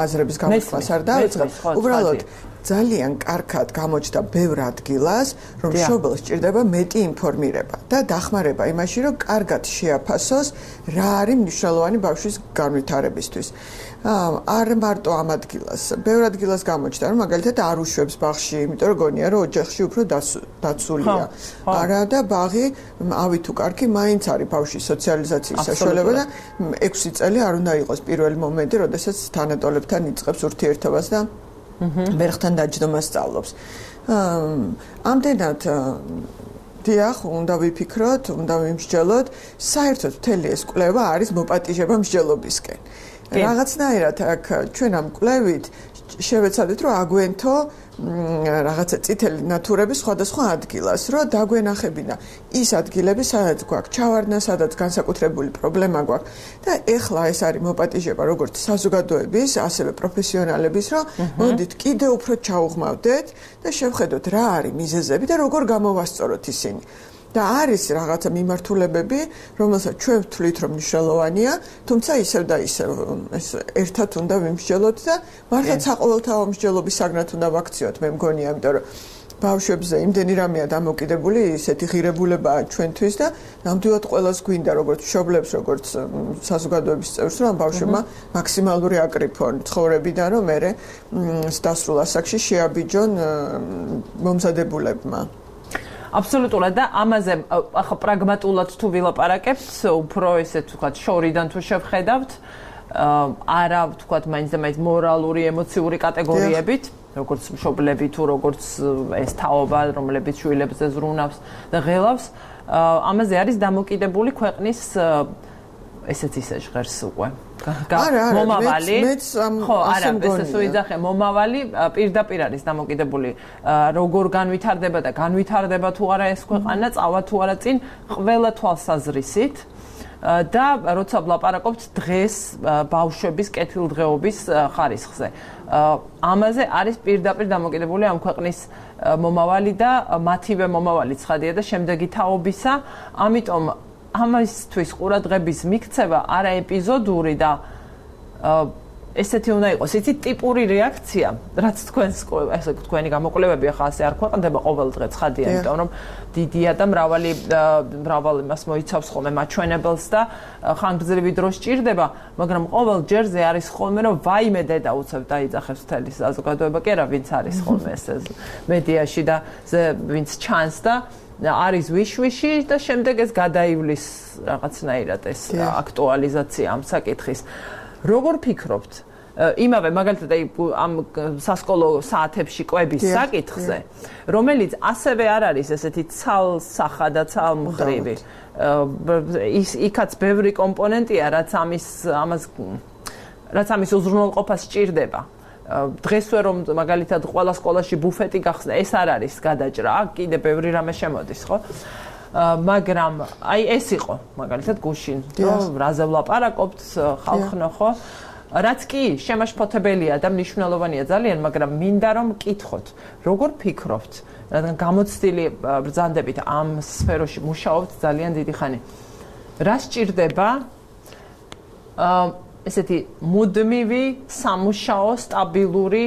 აზრების გამოთქმას არ დავიწყებ. უბრალოდ ძალიან კარგად გამოჩნდა ბევრ ადგილას, რომ მშობელს სჭირდება მეტი ინფორმირება და დახმარება იმაში, რომ კარგად შეაფასოს რა არის მნიშვნელოვანი ბავშვის განვითარებისთვის. არ მარტო ამ ადგილას, ბევრ ადგილას გამოჩნდა, რომ მაგალითად არ უშვებს ბაღში, იმიტომ რომ გონია, რომ ოჯახში უფრო დაცულია. არა და ბაღი ავი თუ კარგი, მაინც არის ბავშვის სოციალიზაციის საშუალება და 6 წელი არ უნდა იყოს პირველი მომენტი, როდესაც თანატოლებთან იწყებს ურთიერთობას და მერხთან დაჯდომას სწავლობს. ამდენად დიახ, უნდა ვიფიქროთ, უნდა ვიმსჯელოთ, საერთოდ მთელი ეს კვლევა არის მოპატიჟება მსჯელობისკენ. რაღაცნაირად აქ ჩვენ ამ კვლევით შევეცადეთ, რომ აგვენთო რაღაცა წითელი ნათურების სხვადასხვა ადგილას, რომ დაგვენახებინა ის ადგილები, სადაც გვაქვს ჩავარდნა, სადაც განსაკუთრებული პრობლემა გვაქვს და ეხლა ეს არის მოპატიჟება როგორც საზოგადოების, ასევე პროფესიონალების, რომ მოდით კიდევ უფრო ჩაუღმავდეთ და შევხედოთ რა არის მიზეზები და როგორ გამოვასწოროთ ისინი. და არის რაღაცა მიმართულებები, რომელსაც ჩვენ ვთვლით, რომ მნიშვნელოვანია, თუმცა ისევ და ისევ ეს ერთად უნდა ვიმსჯელოთ და მართლა საყოველთაო მსჯელობის საგნად უნდა ვაქციოთ, მე მგონია, იმიტომ რომ ბავშვებზე იმდენი რამეა დამოკიდებული, ისეთი ღირებულებაა ჩვენთვის და ნამდვილად ყველას გვინდა, როგორც მშობლებს, როგორც საზოგადოების წევრს, რომ ბავშვებმა მაქსიმალური აკრიფონ ცხოვრებიდან, რომ მერე დასრულ ასაკში შეაბიჯონ მომზადებულებმა. აბსოლუტურად და ამაზე ახლა პრაგმატულად თუ ვილაპარაკებთ, უფრო ესე ვთქვათ, შორიდან თუ შევხედავთ, არა ვთქვათ, მაინც და მაინც მორალური, ემოციური კატეგორიებით, როგორც მშობლები თუ როგორც ეს თაობა, რომლებიც შვილებზე ზრუნავს და ღელავს, ამაზე არის დამოკიდებული ქვეყნის ესეც ისე ჟღერს უკვე. მომავალი ხო არა ეს უიძახე მომავალი პირდაპირ არის დამოკიდებული როგორ განვითარდება და განვითარდება თუ არა ეს ქვეყანა წავა თუ არა წინ ყველა თვალსაზრისით და როცა ვლაპარაკობთ დღეს ბავშვების კეთილდღეობის ხარისხზე. ამაზე არის პირდაპირ დამოკიდებული ამ ქვეყნის მომავალი და მათივე მომავალი ცხადია და შემდეგი თაობისა, ამიტომ ამისთვის ყურადღების მიქცევა არა ეპიზოდური და ესეთი უნდა იყოს, იცით, ტიპური რეაქცია, რაც თქვენი გამოკვლევები ახლა ასე არ ქვეყნდება ყოველ დღე ცხადია, იმიტომ რომ დიდია და მრავალი იმას მოიცავს ხოლმე მაჩვენებელს და ხანგრძლივი დრო სჭირდება, მაგრამ ყოველ ჯერზე არის ხოლმე რომ ვაიმე დედა უცებ დაიძახებს მთელი საზოგადოება, კი არა, ვინც არის ხოლმე ეს მედიაში და ვინც ჩანს და არის ვიშვიში და შემდეგ ეს გადაივლის რაღაცნაირად ეს აქტუალიზაცია ამ საკითხის. როგორ ფიქრობთ? იმავე მაგალითად ამ სასკოლო საათებში კვების საკითხზე, რომელიც ასევე არ არის ესეთი ცალსახა და ცალმხრივი. იქაც ბევრი კომპონენტია, რაც ამის უზრუნველყოფას სჭირდება. დღესვე რომ მაგალითად ყველა სკოლაში ბუფეტი გახსნა, ეს არ არის გადაჭრა, კიდე ბევრი რამე შემოდის, ხო? მაგრამ აი ეს იყო მაგალითად გუშინ, რომ რაზე ვლაპარაკობთ ხალხნო, ხო? რაც კი შემაშფოთებელია და მნიშვნელოვანია ძალიან, მაგრამ მინდა რომ მკითხოთ, როგორ ფიქრობთ, რადგან გამოცდილი ბრძანდებით ამ სფეროში მუშაობთ ძალიან დიდი ხანი. რა სჭირდება ესეთი მუდმივი სამუშაო სტაბილური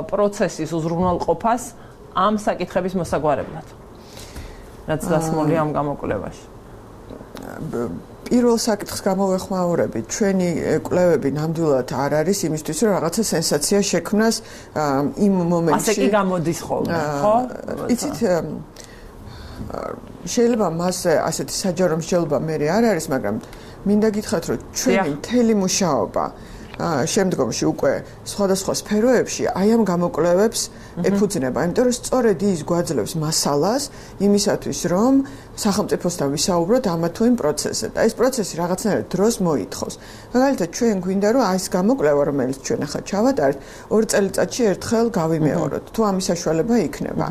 პროცესის უზრუნველყოფას ამ საკითხების მოსაგვარებლად? რაც დასმული ამ გამოკვლევაში. პირველ საკითხს გამოვეხმაურებით, ჩვენი კვლევები ნამდვილად არ არის იმისთვის, რომ რაღაცა სენსაცია შექმნას იმ მომენტში. ასე კი გამოდის ხოლმე, ხო? იცით, შეიძლება მას ასეთი საჯარო მსჯელობა მე არ არის, მაგრამ მინდა გითხრათ, რომ ჩვენი მთელი მუშაობა შემდგომში უკვე სხვადასხვა სფეროებში აი ამ გამოკვლევებს ეფუძნება, იმიტომ რომ სწორედ ის გვაძლევს მასალას იმისათვის, რომ სახელმწიფოსთან ვისაუბროთ ამა თუ იმ პროცესზე და ეს პროცესი რაღაცნაირად დროს მოითხოვს. მაგალითად, ჩვენ გვინდა რომ აი ეს გამოკვლევა, რომელიც ჩვენ ახლა ჩავატარეთ, 2 წელიწადში ერთხელ გავიმეოროთ, თუ ამის საშუალება იქნება.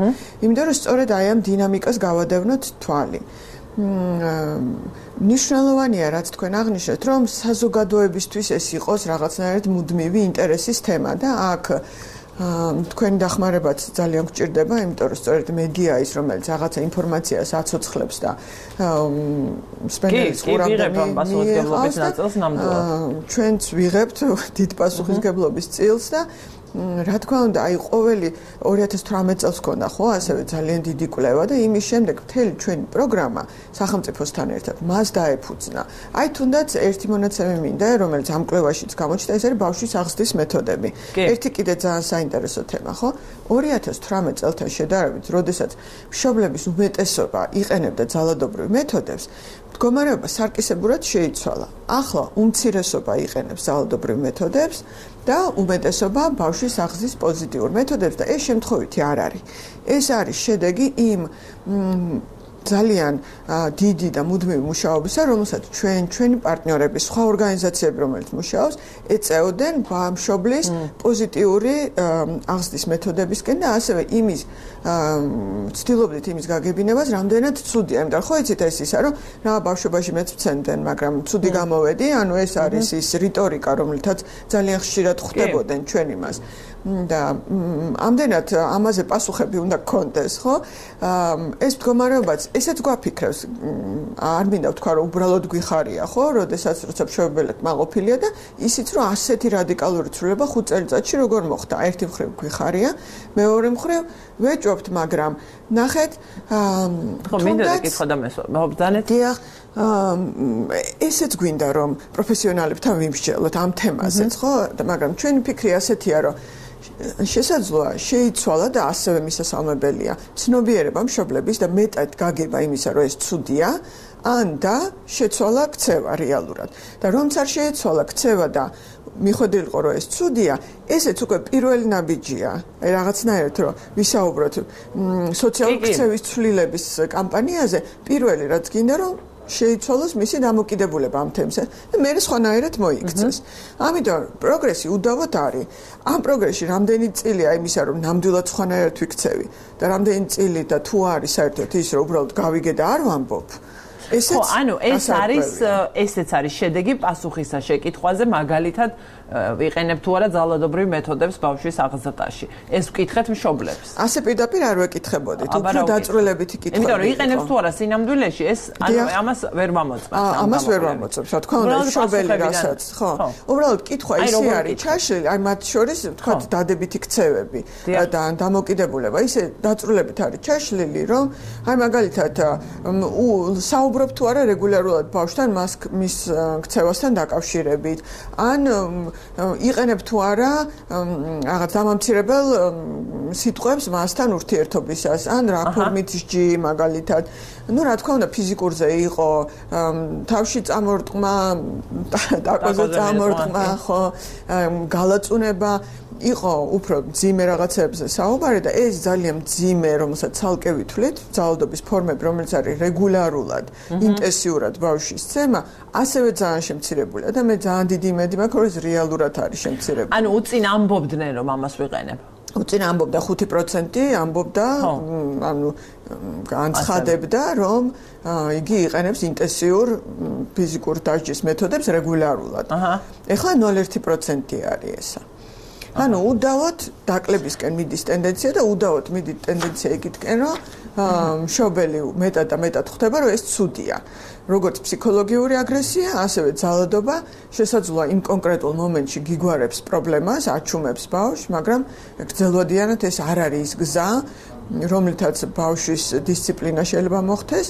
იმიტომ რომ სწორედ აი ამ დინამიკას გავადევნოთ თვალი. მნიშვნელოვანია, რაც თქვენ აღნიშნეთ, რომ საზოგადოებისთვის ეს იყოს რაღაცნაირად მუდმივი ინტერესის თემა და აქ თქვენი დახმარებაც ძალიან გვჭირდება, იმიტომ რომ სწორედ მედია ის, რომელიც რაღაცა ინფორმაციას აცოცხლებს და სპენდელის ყურამდე პასუხისმგებლობის ნაწილს ნამდვილად. ჩვენც ვიღებთ დიდ პასუხისმგებლობის წილს და რა თქმა უნდა, აი ყოველი 2018 წელს ქონდა ხო, ასევე ძალიან დიდი კვლევა და იმის შემდეგ მთელი ჩვენი პროგრამა სახელმწიფოსთან ერთად მას დაეფუძნა. აი თუნდაც ერთი მონაცემი მინდა, რომელიც ამ კვლევაშიც გამოჩნდა, ეს არის ბავშვის აღზრდის მეთოდები. ერთი კიდე ძალიან საინტერესო თემა, ხო? 2018 წელთან შედარებით, როდესაც მშობლების უმეტესობა იყენებდა ძალადობრივ მეთოდებს, მდგომარეობა სარკისებურად შეიცვალა. ახლა უმცირესობა იყენებს ძალადობრივ მეთოდებს და უმეტესობა ბავშვის აღზრდის პოზიტიურ მეთოდებს და ეს შემთხვევითი არ არის. ეს არის შედეგი იმ ძალიან დიდი და მუდმივი მუშაობისა, რომელსაც ჩვენი პარტნიორები, სხვა ორგანიზაციები, რომელიც მუშაობს, ეწეოდნენ ბავშვის პოზიტიური აღზრდის მეთოდებისკენ და ასევე იმის ცდილობდით იმის გაგებინებას, რამდენად ცუდია. იმიტომ ხო იცით ეს ისა, რომ რა ბავშვობაში მეც ვცემდნენ, მაგრამ ცუდი გამოვედი, ანუ ეს არის ის რიტორიკა, რომელთაც ძალიან ხშირად ხვდებოდნენ ჩვენ იმას. და ამდენად ამაზე პასუხები უნდა გქონდეს, ხო? ეს მდგომარეობაც ესეც გვაფიქრებს. არ მინდა ვთქვა, რომ უბრალოდ გვიხარია, ხო? როდესაც როცა მშობლები მაყოფილია და ისიც რომ ასეთი რადიკალური ცვლილება 5 წელიწადში როგორ მოხდა. ერთი მხრივ გვიხარია, მეორე მხრივ ვეჭვობთ, მაგრამ ნახეთ, ხო, მინდა გეკითხა და მესვამბანეთ. დიახ, ესეც გვინდა რომ პროფესიონალებთან ვიმსჯელოთ ამ თემაზეც, ხო? მაგრამ ჩვენი ფიქრი ასეთია, რომ შესაძლოა შეიცვალა და ასევე მისასალმებელია ცნობიერება მშობლების და მეტად გაგება იმისა, რომ ეს ცუდია, ან და შეცვალა ქცევა რეალურად. და რომც არ შეეცვალა ქცევა და მიხვედრილიყო, რომ ეს ცუდია, ესეც უკვე პირველი ნაბიჯია. აი რაღაცნაირად რომ ვისაუბროთ სოციალური ქცევის ცვლილების კამპანიაზე, პირველი რაც გინდა რომ შეიცვალოს მისი დამოკიდებულება ამ თემზე და მე სხვანაირად მოიქცეს. ამიტომ პროგრესი უდავოდ არის. ამ პროგრესში რამდენი წილია იმისა, რომ ნამდვილად სხვანაირად ვიქცევი და რამდენი წილი და თუ არის საერთოდ ის, რომ უბრალოდ გავიგე და არ ვამბობ. ხო, ანუ ესეც არის შედეგი პასუხისა შეკითხვაზე, მაგალითად ვიყენებ თუ არა ძალადობრივ მეთოდებს ბავშვის აღზრდაში. ეს ვკითხეთ მშობლებს. ასე პირდაპირ არ ვეკითხებოდით, უფრო დაწვრილებითი კითხვები. იმიტომ რომ იყენებს თუ არა სინამდვილეში, ეს ამას ვერ მომოწმებს. ამას ვერ მომოწმებს, რა თქმა უნდა, მშობელი რასაც, ხო. უბრალოდ კითხვა ისე არის ჩაშლილი, აი მათ შორის თქვა დადებითი ქცევები და დამოკიდებულება ისე დაწვრილებით არის ჩაშლილი, რომ აი მაგალითად საუბრობ თუ არა რეგულარულად ბავშვთან მის ქცევასთან დაკავშირებით, ან იყენებ თუ არა რაღაც დამამცირებელ სიტყვებს მასთან ურთიერთობისას, ან რა ფორმით სჯი მაგალითად. Ну, რა თქმა უნდა, ფიზიკურზე იყო თავში წამორტყმა, დაკოზე წამორტყმა, ხო, გალაწუნება, იყო უფრო მძიმე რაღაცებზე საუბარი და ეს ძალიან მძიმე, რომელსაც ცალკე ვითვლით, ძალადობის ფორმები, რომელიც არის რეგულარულად, ინტენსიურად ბავშვის ცემა, ასევე ძალიან შემცირებულია და მე ძალიან დიდი იმედი მაქვს, რომ ეს რეალურად არის შემცირებული. ანუ უწინ ამბობდნენ, რომ ამას ვიყენებ. უწინ ამბობდა 5% ამბობდა, ანუ განცხადებდა, რომ იგი იყენებს ინტენსიურ ფიზიკურ დასჯის მეთოდებს რეგულარულად. ეხლა 0.1% არის ესა. ანუ უდავოდ დაკლებისკენ მიდის ტენდენცია და უდავოდ მიდის ტენდენცია იქითკენ, რომ მშობელი მეტად და მეტად ხვდება, რომ ეს ცუდია. როგორც ფსიქოლოგიური აგრესია, ასევე ძალადობა შესაძლოა იმ კონკრეტულ მომენტში გიგوارებს პრობლემას, აჩუმებს ბავშვს, მაგრამ გრძელვადიანად ეს არ არის ის გზა, რომლითაც ბავშვის დისციპლინა შეიძლება მოხდეს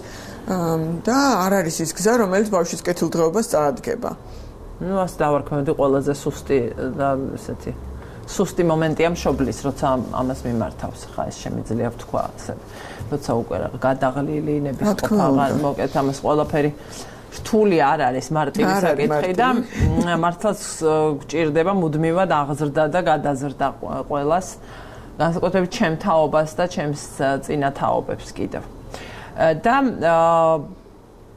და არ არის ის გზა, რომელიც ბავშვის კეთილდღეობას წაადგება. Ну, ას დავარქმევდი ყველაზე სუსტი და ესეთი სუსტი მომენტია მშობლის, როცა ამას მიმართავს, ხა ეს შემიძლია ვთქვა ასე. როცა უკვე გადაღლილი ნებისყოფა მოკეთ ამას ყველაფერი რთული არ არის მარტივი საკითხი და მართლაც გჭირდება მუდმივად აღზრდა და გადაზრდა ყველას, განსაკუთრებით ჩემ თაობას და ჩემს წინა თაობებს კიდევ. და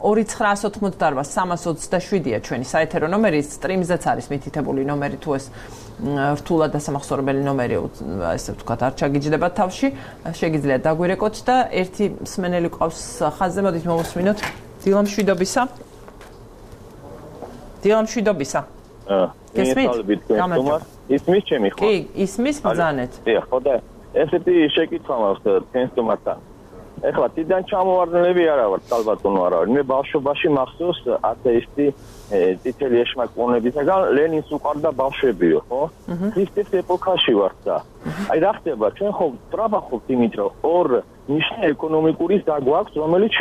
2988-327-ია ჩვენი საეთერო ნომერი, სტრიმზეც არის მითითებული ნომერი, თუ ეს რთულად დასამახსოვრებელი ნომერი, ესე ვთქვათ, არ ჩაგიჯდება თავში, შეგიძლიათ დაგვირეკოთ და ერთი მსმენელი ყავს ხაზზე, მოდით მოვუსმინოთ. დილამშვიდობისა. დილამშვიდობისა. ისმის ჩემი ხო? კი, ისმის ბრძანეთ. დიახ, ხო და ესეთი შეკითხვა მაქვს თქვენს თემასთან. ეხლა თიდან ჩამოვარდნილები არა ვარ, ალბათონო არა ვარ. მე ბავშვობაში მახსოვს ათეისტი წითელი ეშმაკოვნებისაგან ლენინს უყარდა ბავშვებიო, ხო? ქრისტეს ეპოქაში ვართ და აი რა ხდება, ჩვენ ხო ტრაბახობთ იმით, რომ ორ ნიშნე ეკონომიკური დაგვაქვს, რომელიც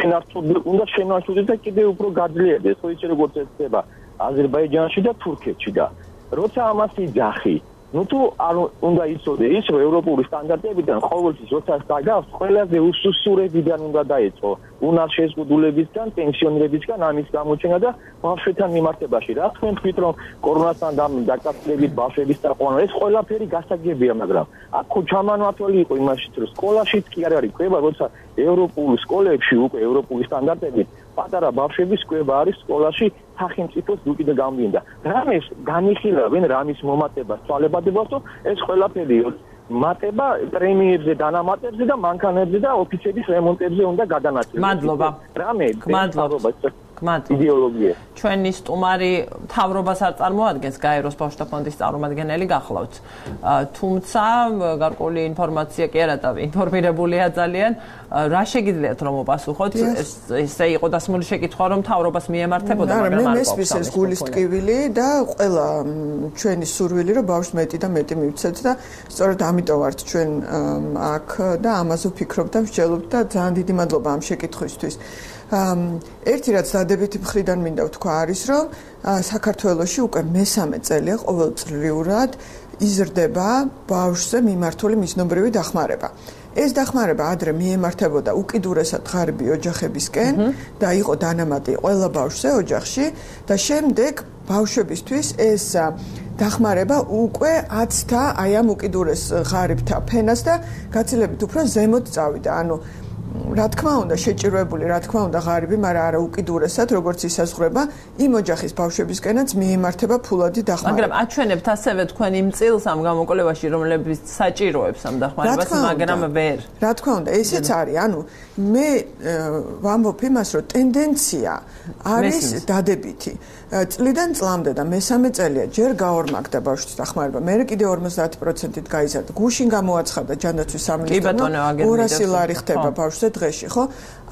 უნდა შენარჩუნდეს და კიდევ უფრო გაძლიერდეს, ხო იცი როგორც ეს ხდება აზერბაიჯანში და თურქეთში და როცა ამას იძახი ну თუ არ უნდა იცოდე ის რომ ევროპული სტანდარტებიდან ყოველთვის როცა დაგავს ყველაზე უსუსურებიდან უნდა დაეწყო უნარ შეზღუდულებისგან პენსიონერებისგან ამის გამოჩენა და ბავშვებთან მიმართებაში რა თქვენ თქვით რომ კორონასთან დაკავშირებით ბავშვების დაყვანა ეს ყველაფერი გასაგებია მაგრამ აქ ჩამანვათველი იყო იმაშიც რომ სკოლაშიც კი არ არის კვება როცა ევროპულ სკოლებში უკვე ევროპული სტანდარტებით პატარა ბავშვების კვება არის სკოლაში სახელმწიფოს უკიდე გამდინდა რამეს განიხილავენ რამის მომატებას ცვალებადებას რომ ეს ყველაფერი მატება პრემიერებზე დანამატებზე და მანქანებზე და ოფისების რემონტებზე უნდა გადანაწილდეს მადლობა რამე მადლობა იდეოლოგია ჩვენი სტუმარი თავრობას არ წარმოადგენს გაეროს ბავშვთა ფონდის წარმომადგენელი გახლავთ თუმცა გარკვეული ინფორმაცია კი არა და ინფორმირებულია ძალიან რა შეგიძლიათ რომ მოპასუხოთ ესე იყო დასმული შეკითხვა რომ თავრობას მიემართებოდა მაგრამ არ მესმის ეს გულის ტკივილი და ყველა ჩვენი სურვილი რომ ბავშვს მეტი და მეტი მივცეთ და სწორედ ამიტომ ვართ ჩვენ აქ და ამაზე ვფიქრობ და ვსჯელობ და ძალიან დიდი მადლობა ამ შეკითხვისთვის ერთი რაც დადებითი მხრიდან მინდა ვთქვა არის რომ საქართველოში უკვე მესამე წელია ყოველწლიურად იზრდება ბავშვზე მიმართული მიზნობრივი დახმარება. ეს დახმარება ადრე მიემართებოდა უკიდურესად ღარიბი ოჯახებისკენ და იყო დანამატი ყველა ბავშვზე ოჯახში და შემდეგ ბავშვებისთვის ეს დახმარება უკვე აცდა აი ამ უკიდურეს ღარიბთა ფენას და გაცილებით უფრო ზემოთ წავიდა. ანუ რა თქმა უნდა შეჭირვებული, რა თქმა უნდა ღარიბი, მაგრამ არა უკიდურესად, როგორც ისაზღვრება იმ ოჯახის ბავშვებისკენაც მიემართება ფულადი დახმარება. მაგრამ აჩვენებთ ასევე თქვენ იმ წილს ამ გამოკვლევაში, რომლებიც საჭიროებს ამ დახმარებას, მაგრამ ვერ. რა თქმა უნდა, ესეც არის. ანუ მე ვამბობ იმას, რომ ტენდენცია არის დადებითი. წლიდან წლამდე და მესამე წელია ჯერ გაორმაგდა ბავშვის დახმარება, მერე კიდე 50%-ით გაიზარდა. გუშინ გამოაცხადა ჯანდაცვის სამინისტრო 200 ლარი ხდება ბავშვზე დღეში, ხო?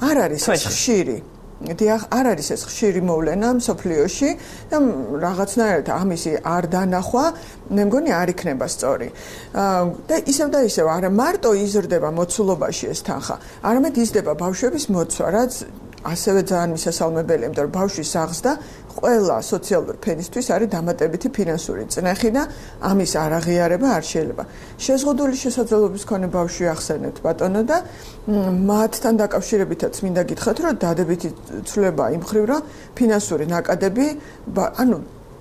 არ არის ეს ხშირი. დიახ, არ არის ეს ხშირი მოვლენა მსოფლიოში და რაღაცნაირად ამისი არ დანახვა, მე მგონი არ იქნება სწორი. და ისევ და ისევ არა მარტო იზრდება მოცულობაში ეს თანხა, არამედ იზრდება ბავშვების მოცვა, რაც ასევე ძალიან მისასალმებელია, იმიტომ რომ ბავშვის საღზდა ყველა სოციალური ფენისთვის არის დამატებითი ფინანსური წნეხი და ამის არაღიარება არ შეიძლება. შეზღუდული შესაძლებლობის მქონე ბავშვი ახსენეთ ბატონო და მათთან დაკავშირებითაც მინდა გითხრათ, რომ დადებითი ცვლილება იმ მხრივ, რომ ფინანსური ნაკადები, ანუ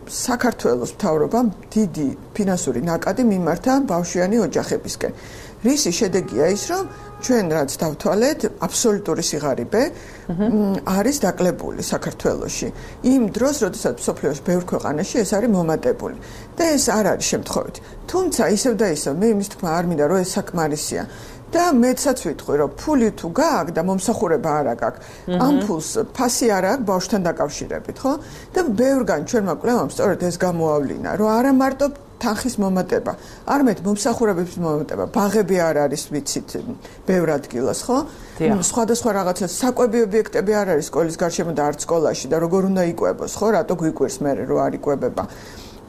საქართველოს მთავრობამ დიდი ფინანსური ნაკადი მიმართა ბავშვიანი ოჯახებისკენ. რისი შედეგია ის, რომ ჩვენ რაც დავთვალეთ, აბსოლუტური სიღარიბე არის დაკლებული საქართველოში. იმ დროს, როდესაც მსოფლიოს ბევრ ქვეყანაში ეს არის მომატებული. და ეს არ არის შემთხვევითი. თუმცა ისევ და ისევ მე იმის თქმა არ მინდა, რომ ეს საკმარისია. და მეცაც ვიტყვი, რომ ფული თუ გააქვს და მომსახურება არ აქვს, ამ ფულს ფასი არ აქვს ბავშვთან დაკავშირებით, ხო? და ბევრგან ჩვენმა კვლევამ სწორედ ეს გამოავლინა, რომ არა მარტო თანხის მომატება, არამედ მომსახურებების მომატება, ბაღები არ არის ვიცით ბევრ ადგილას, ხო? სხვადასხვა რაღაცა საკვები ობიექტები არ არის სკოლის გარშემო და არც სკოლაში და როგორ უნდა იკვებოს, ხო? რატო გვიკვირს მე რო არ იკვებება?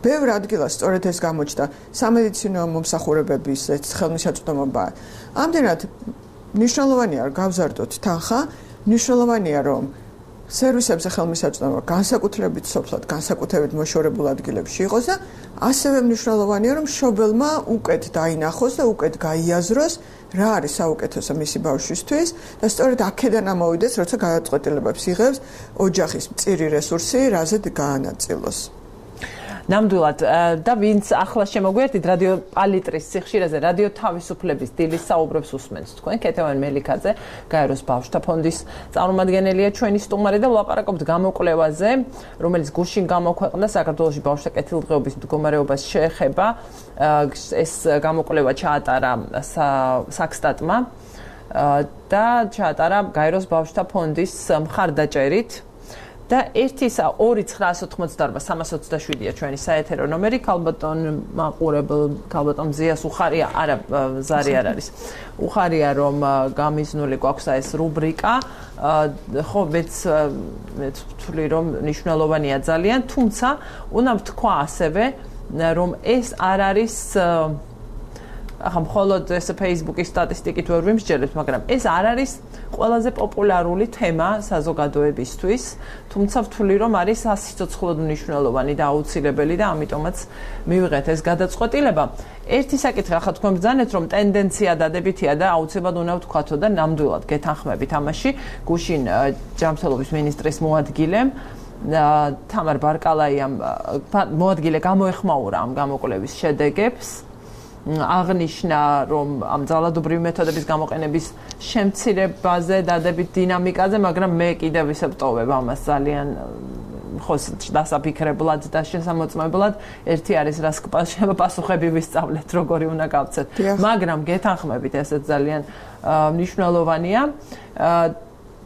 ბევრ ადგილას სწორედ ეს გამოჩნდა სამედიცინო მომსახურებების ეს ხელმისაწვდომობა. ამდენად მნიშვნელოვანია რომ გავზარდოთ თანხა, მნიშვნელოვანია რომ სერვისებზე ხელმისაწვდომობა განსაკუთრებით სოფლად, განსაკუთრებით მოშორებულ ადგილებში იყოს და ასევე მნიშვნელოვანია რომ მშობელმა უკეთ დაინახოს და უკეთ გაიაზროს რა არის საუკეთესო მისი ბავშვისთვის და სწორედ აქედან ამოვიდეს, როცა გადაწყვეტილებებს იღებს ოჯახის მწირი რესურსი, რაზე გაანაწილოს. ნამდვილად და ვინც ახლა შემოგვიერთდით რადიო პალიტრის სიხშირეზე რადიო თავისუფლების დილის საუბრებს უსმენთ თქვენ ქეთევან მელიქაძე გაეროს ბავშვთა ფონდის წარმომადგენელია ჩვენი სტუმარი და ვლაპარაკობთ გამოკვლევაზე რომელიც გუშინ გამოქვეყნდა საქართველოში ბავშვთა კეთილდღეობის მდგომარეობას შეეხება ეს გამოკვლევა ჩაატარა საქსტატმა და ჩაატარა გაეროს ბავშვთა ფონდის მხარდაჭერით და 1-2-988-327-ია ჩვენი საეთერო ნომერი, ქალბატონ მაყურებელ, ქალბატონ მზიას უხარია, არა, ზარი არ არის. უხარია რომ გამიზნული გვაქვს ეს რუბრიკა, ხო, მეც ვთვლი რომ მნიშვნელოვანია ძალიან, თუმცა უნდა ვთქვა ასევე რომ ეს არ არის ახლა მხოლოდ ეს Facebook-ის სტატისტიკით ვერ ვიმსჯელებ, მაგრამ ეს არ არის ყველაზე პოპულარული თემა საზოგადოებისთვის, თუმცა ვთვლი რომ არის სიცოცხლოდ მნიშვნელოვანი და აუცილებელი და ამიტომაც მივიღეთ ეს გადაწყვეტილება. ერთი საკითხი ახლა თქვენ ბრძანეთ რომ ტენდენცია დადებითია და აუცილებლად უნდა ვთქვათო და ნამდვილად გეთანხმებით ამაში. გუშინ ჯანმრთელობის მინისტრის მოადგილემ თამარ ბარკალაიამ მოადგილე გამოეხმაურა ამ გამოკვლევის შედეგებს. აღნიშნა რომ ამ ძალადობრივი მეთოდების გამოყენების შემცირებაზე დადებით დინამიკაზე, მაგრამ მე კიდევ ისე ვტოვებ ამას ძალიან ხოს დასაფიქრებლად და შესამოწმებლად. ერთი არის რას პასუხები ვისწავლეთ, როგორი უნდა გავცეთ. მაგრამ გეთანხმებით, ესეც ძალიან მნიშვნელოვანია.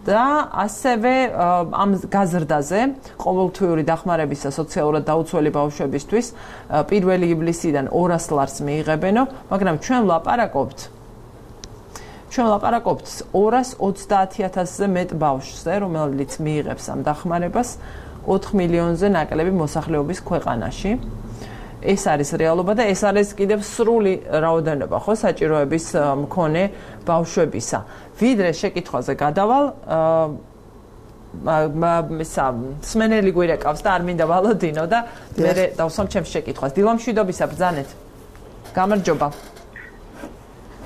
და ასევე ამ გაზრდაზე ყოველთვიური დახმარებისა სოციალურად დაუცველი ბავშვებისთვის 1 ივლისიდან 200 ლარს მიიღებენო, მაგრამ ჩვენ ვლაპარაკობთ 230,000-ზე მეტ ბავშვზე, რომელიც მიიღებს ამ დახმარებას 4 მილიონზე ნაკლები მოსახლეობის ქვეყანაში. ეს არის რეალობა და ეს არის კიდევ სრული რაოდენობა, ხო, საჭიროების მქონე ბავშვებისა. ვიდრე შეკითხვაზე გადავალ, სმენელი გვირეკავს და არ მინდა ვალოდინო და მე დავსვამ ჩემს შეკითხვას. დილამშვიდობისა ბრძანეთ. გამარჯობა.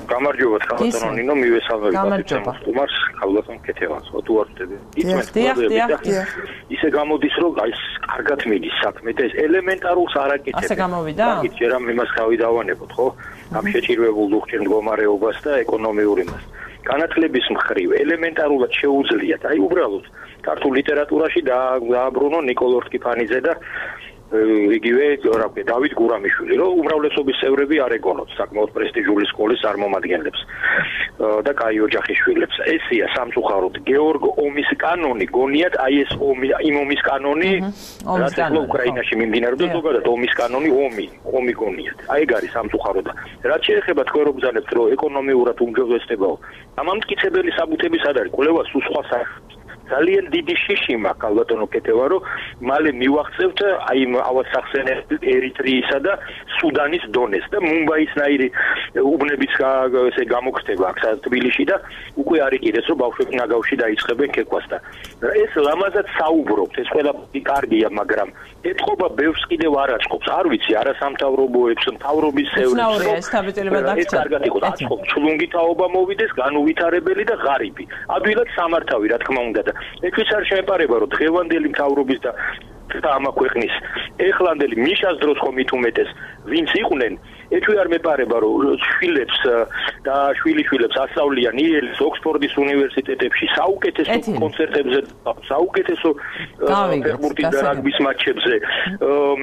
გამარჯობა, ქალბატონო ნინო, მივესალმებით სტუმარს, ქალბატონ ქეთევანს, თუ არ ვწდები. ისე გამოდის, რომ აი კარგად მიდის საქმე და ეს ელემენტარულს არ აკეთებს. ასე გამოვიდა? მაგით ჯერ ამ იმას გავიდავანებოთ, ხო? ამ შეჭირვებულ ლუხჭირ მდგომარეობას და ეკონომიურ იმას. განათლების მხრივ ელემენტარულად შეუძლიათ. აი უბრალოდ ქართულ ლიტერატურაში დააბრუნო ნიკოლოზ რკიფანიძე და იგივე რა ვქო დავით გურამიშვილი, რომ უმრავლესობის წევრები არ ეგონოთ საკმაოდ პრესტიჟული სკოლის წარმომადგენლებს და კაი ოჯახის შვილებს. ესია სამწუხაროდ გეორგ ომის კანონი, გონიათ აი ეს იმ ომის კანონი, რაც ახლა უკრაინაში მიმდინარეობს და ზოგადად ომის კანონი ომი გონიათ. აი ეგ არის სამწუხაროდ. რაც შეეხება თქვენ რო ბრძანებთ, რომ ეკონომიურად უმჯობესდებაო, ამამტკიცებელი საბუთები სად არის? კვლევა სულ სხვა საერთოდ ძალიან დიდი შიში მაქვს ალბათონო კეთება რომ მალე მივახცევთ აი ავად სახსენებთ ერიტრეისა და სუდანის დონეს და მუმბაისნაირი უბნების ესე გამოგხდება აქ თბილისში და უკვე არის კიდეც რომ ბავშვები ნაგავში დაიწყებენ ქეკვას და ეს ლამაზად საუბრობთ ეს ყველაფერი კარგია მაგრამ ეთყობა ბევრს კიდევ არ აწყობს არ ვიცი არასამთავრობოებს მთავრობის წევრებს ეს კარგად იყო აწყობს ჩლუნგი თაობა მოვიდეს განუვითარებელი და ღარიბი ადვილად სამართავი რა თქმა უნდა და ეთვის არ შეეპარება რომ დღევანდელი მთავრობის და ამა ქვეყნის ეხლანდელი მიშას დროს ხომ ითუმეტეს ვინც იყვნენ ეჩვი არ მეპარება რომ შვილებს და შვილიშვილებს ასწავლიან იელის ოქსფორდის უნივერსიტეტებში საუკეთესო კონცერტებზე საუკეთესო ფეხბურთის და რაგბის მატჩებზე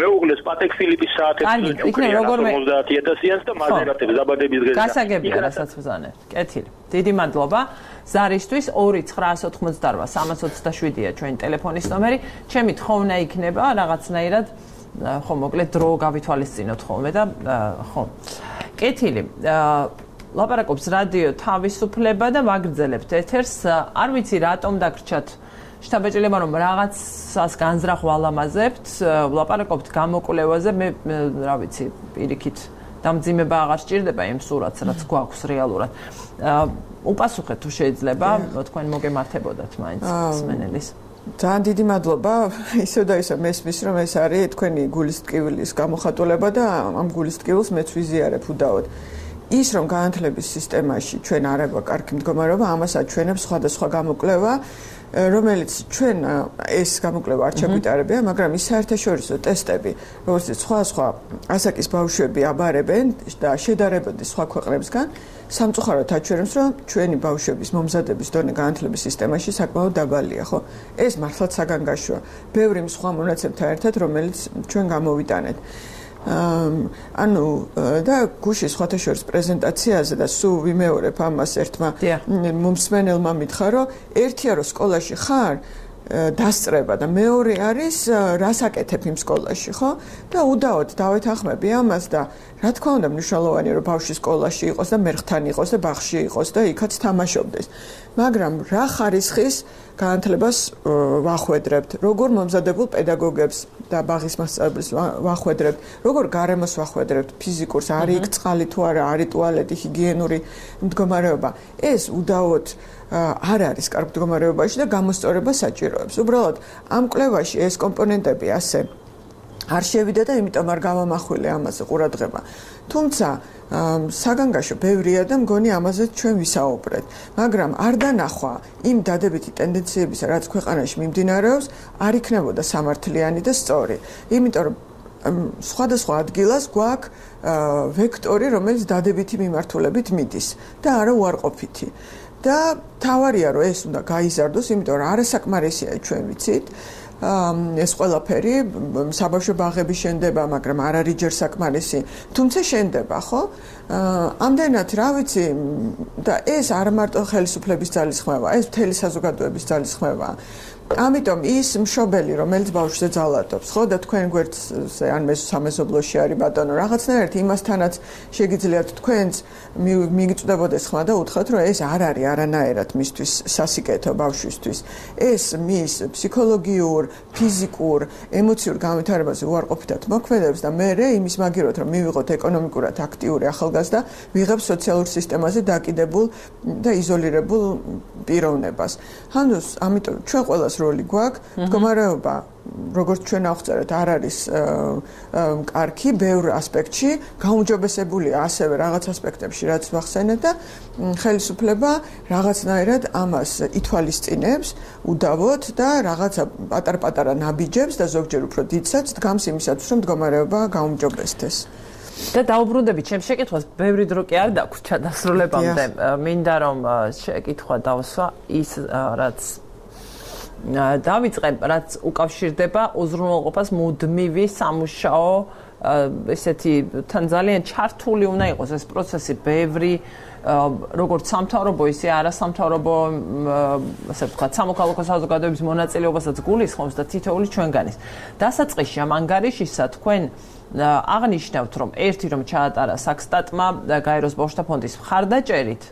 მეუღლეს პატეკ ფილიპის საათებში 50000-იანს და მაზერატებს დაბადების დღეზე გასაგებია რასაც ვზანებთ კეთილი დიდი მადლობა ზარისთვის 2988327-ია ჩვენი ტელეფონის ნომერი ჩემი თხოვნა იქნება რაღაცნაირად ხო მოკლედ დრო გავითვალისწინოთ ხოლმე და ხო კეთილი ლაპარაკობს რადიო თავისუფლება და ვაგრძელებთ ეთერს არ ვიცი რატომ დაგრჩათ შთაბეჭდილება რომ რაღაცას განზრახ ვალამაზებთ ლაპარაკობთ გამოკვლევაზე მე რა ვიცი პირიქით დამძიმება აღარ სჭირდება იმ სურათს რაც გვაქვს რეალურად უპასუხეთ თუ შეიძლება თქვენ მოგემართებოდათ მაინც მსმენელის ძალიან დიდი მადლობა ისევ და ისევ მესმის რომ ეს არის თქვენი გულის ტკივილის გამოხატულება და ამ გულის ტკივილს მეც ვიზიარებ უდაოდ ის რომ განათლების სისტემაში ჩვენ არ აქვს კარგი მდგომარეობა ამას აჩვენებს სხვადასხვა გამოკვლევა რომელიც ჩვენ ეს გამოკვლევა არ ჩაგვიტარებია მაგრამ ის საერთაშორისო ტესტები როგორც სხვა ასაკის ბავშვები აბარებენ და შედარებოდი სხვა ქვეყნებსგან სამწუხაროდ აჩვენებს რომ ჩვენი ბავშვების მომზადების დონე განათლების სისტემაში საკმაოდ დაბალია ხო ეს მართლაც საგანგაშოა ბევრი სხვა მონაცემთან ერთად რომელიც ჩვენ გამოვიტანეთ ანუ და გუშინ სხვათა შორის პრეზენტაციაზე და სულ ვიმეორებ ამას ერთმა მომსმენელმა მითხრა რომ ერთია რომ სკოლაში ხარ დასწრება და მეორე არის რას აკეთებ იმ სკოლაში ხო და უდაოდ დავეთანხმები ამას და რა თქმა უნდა მნიშვნელოვანია რომ ბავშვი სკოლაში იყოს და მერხთან იყოს და ბაღში იყოს და იქაც თამაშობდეს მაგრამ რა ხარისხის განათლებას ვახვედრებთ როგორ მომზადებულ პედაგოგებს და ბაღის მასწავლებელს ვახვედრებთ როგორ გარემოს ვახვედრებთ ფიზიკურს არის იქ წყალი თუ არა არის ტუალეტი ჰიგიენური მდგომარეობა ეს უდაოდ არ არის კარგ მდგომარეობაში და გამოსწორება საჭიროებს უბრალოდ ამ კვლევაში ეს კომპონენტები ასე არ შევიდა და იმიტომ არ გამამახვილე ამაზე ყურადღება თუმცა საგანგაშო ბევრია და მგონი ამაზე ჩვენ ვისაუბრეთ მაგრამ არ დანახვა იმ დადებითი ტენდენციების რაც ქვეყანაში მიმდინარეობს არ იქნებოდა სამართლიანი და სწორი იმიტომ რომ სხვადასხვა ადგილას გვაქვს ვექტორი რომელიც დადებითი მიმართულებით მიდის და არა უარყოფითი და თავარია რომ ეს უნდა გაიზარდოს იმიტომ რომ არასაკმარისია ჩვენ ვიცით ეს ყველაფერი საბავშვო ბაღები შენდება მაგრამ არ არის ჯერ საკმარისი თუმცა შენდება ხო ამდენად რა ვიცი და ეს არ მარტო ხელისუფლების ძალისხმევა ეს მთელი საზოგადოების ძალისხმევა ამიტომ ის მშობელი რომელიც ბავშვზე ძალადობს ხო და თქვენ გვერდზე ან სამეზობლოში არის ბატონო რაღაცნაირად იმასთანაც შეგიძლიათ თქვენს მიგწვდებოდეს ხმა და უთხრათ რომ ეს არ არის არანაირად მისთვის სასიკეთო ბავშვისთვის ეს მის ფსიქოლოგიურ ფიზიკურ ემოციურ განვითარებაზე უარყოფითად მოქმედებს და მე იმის მაგიროთ რომ მივიღოთ ეკონომიკურად აქტიური ახალგაზრდა ვიღებ სოციალურ სისტემაზე დაკიდებულ და იზოლირებულ პიროვნებას ჰანდოს ამიტომ ჩვენ ყველა როლი გვაქვს მდგომარეობა როგორც ჩვენ ავწერეთ არ არის კარგი ბევრ ასპექტში გაუმჯობესებულია ასევე რაღაც ასპექტებში რაც ვახსენეთ და ხელისუფლება რაღაცნაირად ამას ითვალისწინებს უდავოდ და რაღაცა პატარ-პატარა ნაბიჯებს და ზოგჯერ უფრო დიდსაც დგამს იმისათვის რომ მდგომარეობა გაუმჯობესდეს და დაუბრუნდებით ჩემს შეკითხვას, ბევრი დრო კი არ დაგვრჩა დასრულებამდე. მინდა რომ შეკითხვა დავსვა ის რაც დავიწყებ, რაც უკავშირდება უზრუნველყოფას მუდმივი სამუშაო ესეთი თან ძალიან ჩართული უნდა იყოს ეს პროცესი, ბევრი როგორც სამთავრობო, ისე არასამთავრობო, ასე ვთქვათ, სამოქალაქო საზოგადოების მონაწილეობასაც გულისხმობს და თითოეული ჩვენგანის. დასაწყისში ამ ანგარიშისა თქვენ აღნიშნავთ, რომ ერთი რომ ჩაატარა საქსტატმა გაეროს ბავშვთა ფონდის მხარდაჭერით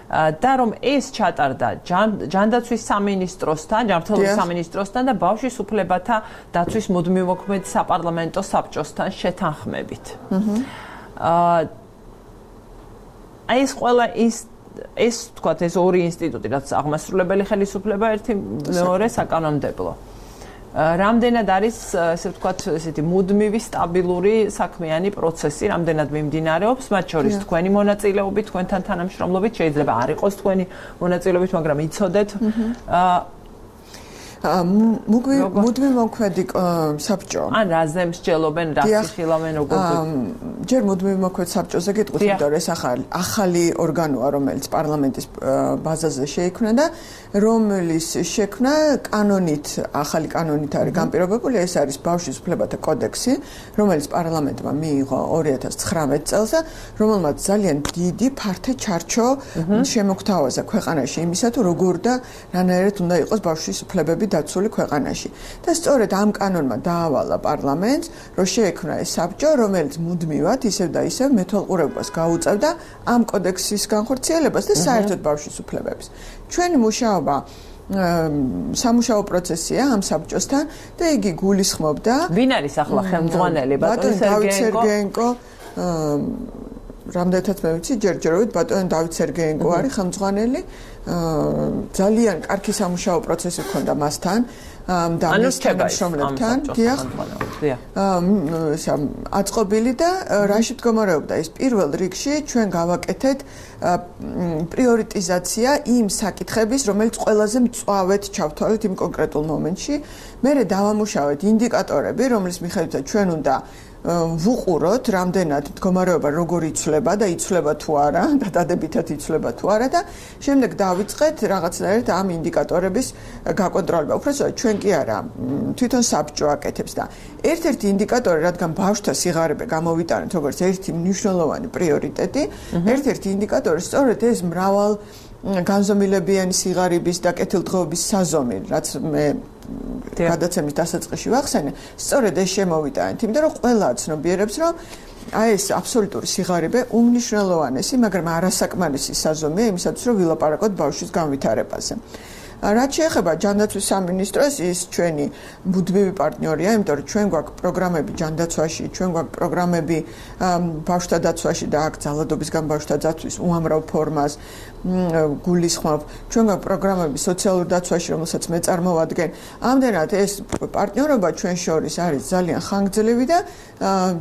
და რომ ეს ჩატარდა ჯანდაცვის სამინისტროსთან, ჯანმრთელობის სამინისტროსთან და ბავშვის უფლებათა დაცვის მუდმივმოქმედ საპარლამენტო საბჭოსთან შეთანხმებით. აი ეს ყველა ეს თქვათ ეს ორი ინსტიტუტი, რაც აღმასრულებელი ხელისუფლება, ერთი მეორე საკანონმდებლო. რამდენად არის, ესე ვთქვათ, ესეთი მუდმივი სტაბილური საქმიანი პროცესი, რამდენად მიმდინარეობს, მათ შორის თქვენი მონაწილეობით, თქვენთან თანამშრომლობით, შეიძლება არ იყოს თქვენი მონაწილეობით, მაგრამ იცოდეთ. მუდმივ მოქმედი საბჭო. ან რაზე მსჯელობენ, რა სიხილავენ, როგორ ჯერ მუდმივ მოქმედ საბჭოზე გეტყვით, იმიტომ რომ ეს ახალი ორგანოა, რომელიც პარლამენტის ბაზაზე შეიქმნა და რომლის შექმნა კანონით, ახალი კანონით არის განპირობებული, ეს არის ბავშვის უფლებათა კოდექსი, რომელიც პარლამენტმა მიიღო 2019 წელს და რომელმაც ძალიან დიდი ფართე ჩარჩო შემოგთავაზა ქვეყანაში იმისა, თუ როგორ და რანაირად უნდა იყოს ბავშვის უფლებები დაცული ქვეყანაში. და სწორედ ამ კანონმა დაავალა პარლამენტს, რომ შეექმნა ეს საბჭო, რომელიც მუდმივად ისევ და ისევ მეთვალყურებას გაუწევდა ამ კოდექსის განხორციელებას და საერთოდ ბავშვის უფლებებს. ჩვენი მუშაობა სამუშაო პროცესია ამ საბჭოსთან და იგი გულისხმობდა ვინ არის ახლა ხელმძღვანელი ბატონი სერგეენკო რამდენადაც მე ვიცი ჯერჯერობით ბატონი დავით სერგეენკო არის ხელმძღვანელი ძალიან კარგი სამუშაო პროცესი ჰქონდა მასთან და მის თანამშრომლებთან დიახ აწყობილი და რაში მდგომარეობდა ეს პირველ რიგში ჩვენ გავაკეთეთ პრიორიტიზაცია იმ საკითხების რომელიც ყველაზე მწვავედ ჩავთვალეთ იმ კონკრეტულ მომენტში მერე დავამუშავეთ ინდიკატორები რომლის მიხედვითაც ჩვენ უნდა ვუყუროთ რამდენად მდგომარეობა როგორ იცვლება და იცვლება თუ არა და დადებითად იცვლება თუ არა და შემდეგ დავიწყეთ რაღაცნაირად ამ ინდიკატორების გაკონტროლება. უბრალოდ ჩვენ კი არა თვითონ საბჭო აკეთებს და ერთ-ერთი ინდიკატორი რადგან ბავშვთა სიღარიბე გამოვიტანეთ როგორც ერთი მნიშვნელოვანი პრიორიტეტი, ერთ-ერთი ინდიკატორი სწორედ ეს მრავალ განზომილებიანი სიღარიბის და კეთილდღეობის საზომი, რაც მე გადაცემის დასაწყისში ვახსენე, სწორედ ეს შემოვიტანეთ, იმიტომ რომ ყველა ცნობიერებს, რომ აი ეს აბსოლუტური სიღარიბე უმნიშვნელოვანესი, მაგრამ არასაკმარისი საზომია იმისათვის, რომ ვილაპარაკოთ ბავშვის განვითარებაზე. რაც შეეხება ჯანდაცვის სამინისტროს, ის ჩვენი მუდმივი პარტნიორია, იმიტომ რომ ჩვენ გვაქვს პროგრამები ჯანდაცვაში, ჩვენ გვაქვს პროგრამები ბავშვთა დაცვაში და აქ ძალადობისგან ბავშვთა დაცვის უამრავ ფორმას გულისხმობ. ჩვენ გვაქვს პროგრამები სოციალურ დაცვაში, რომელსაც მე წარმოვადგენ. ამდენად ეს პარტნიორობა ჩვენ შორის არის ძალიან ხანგრძლივი და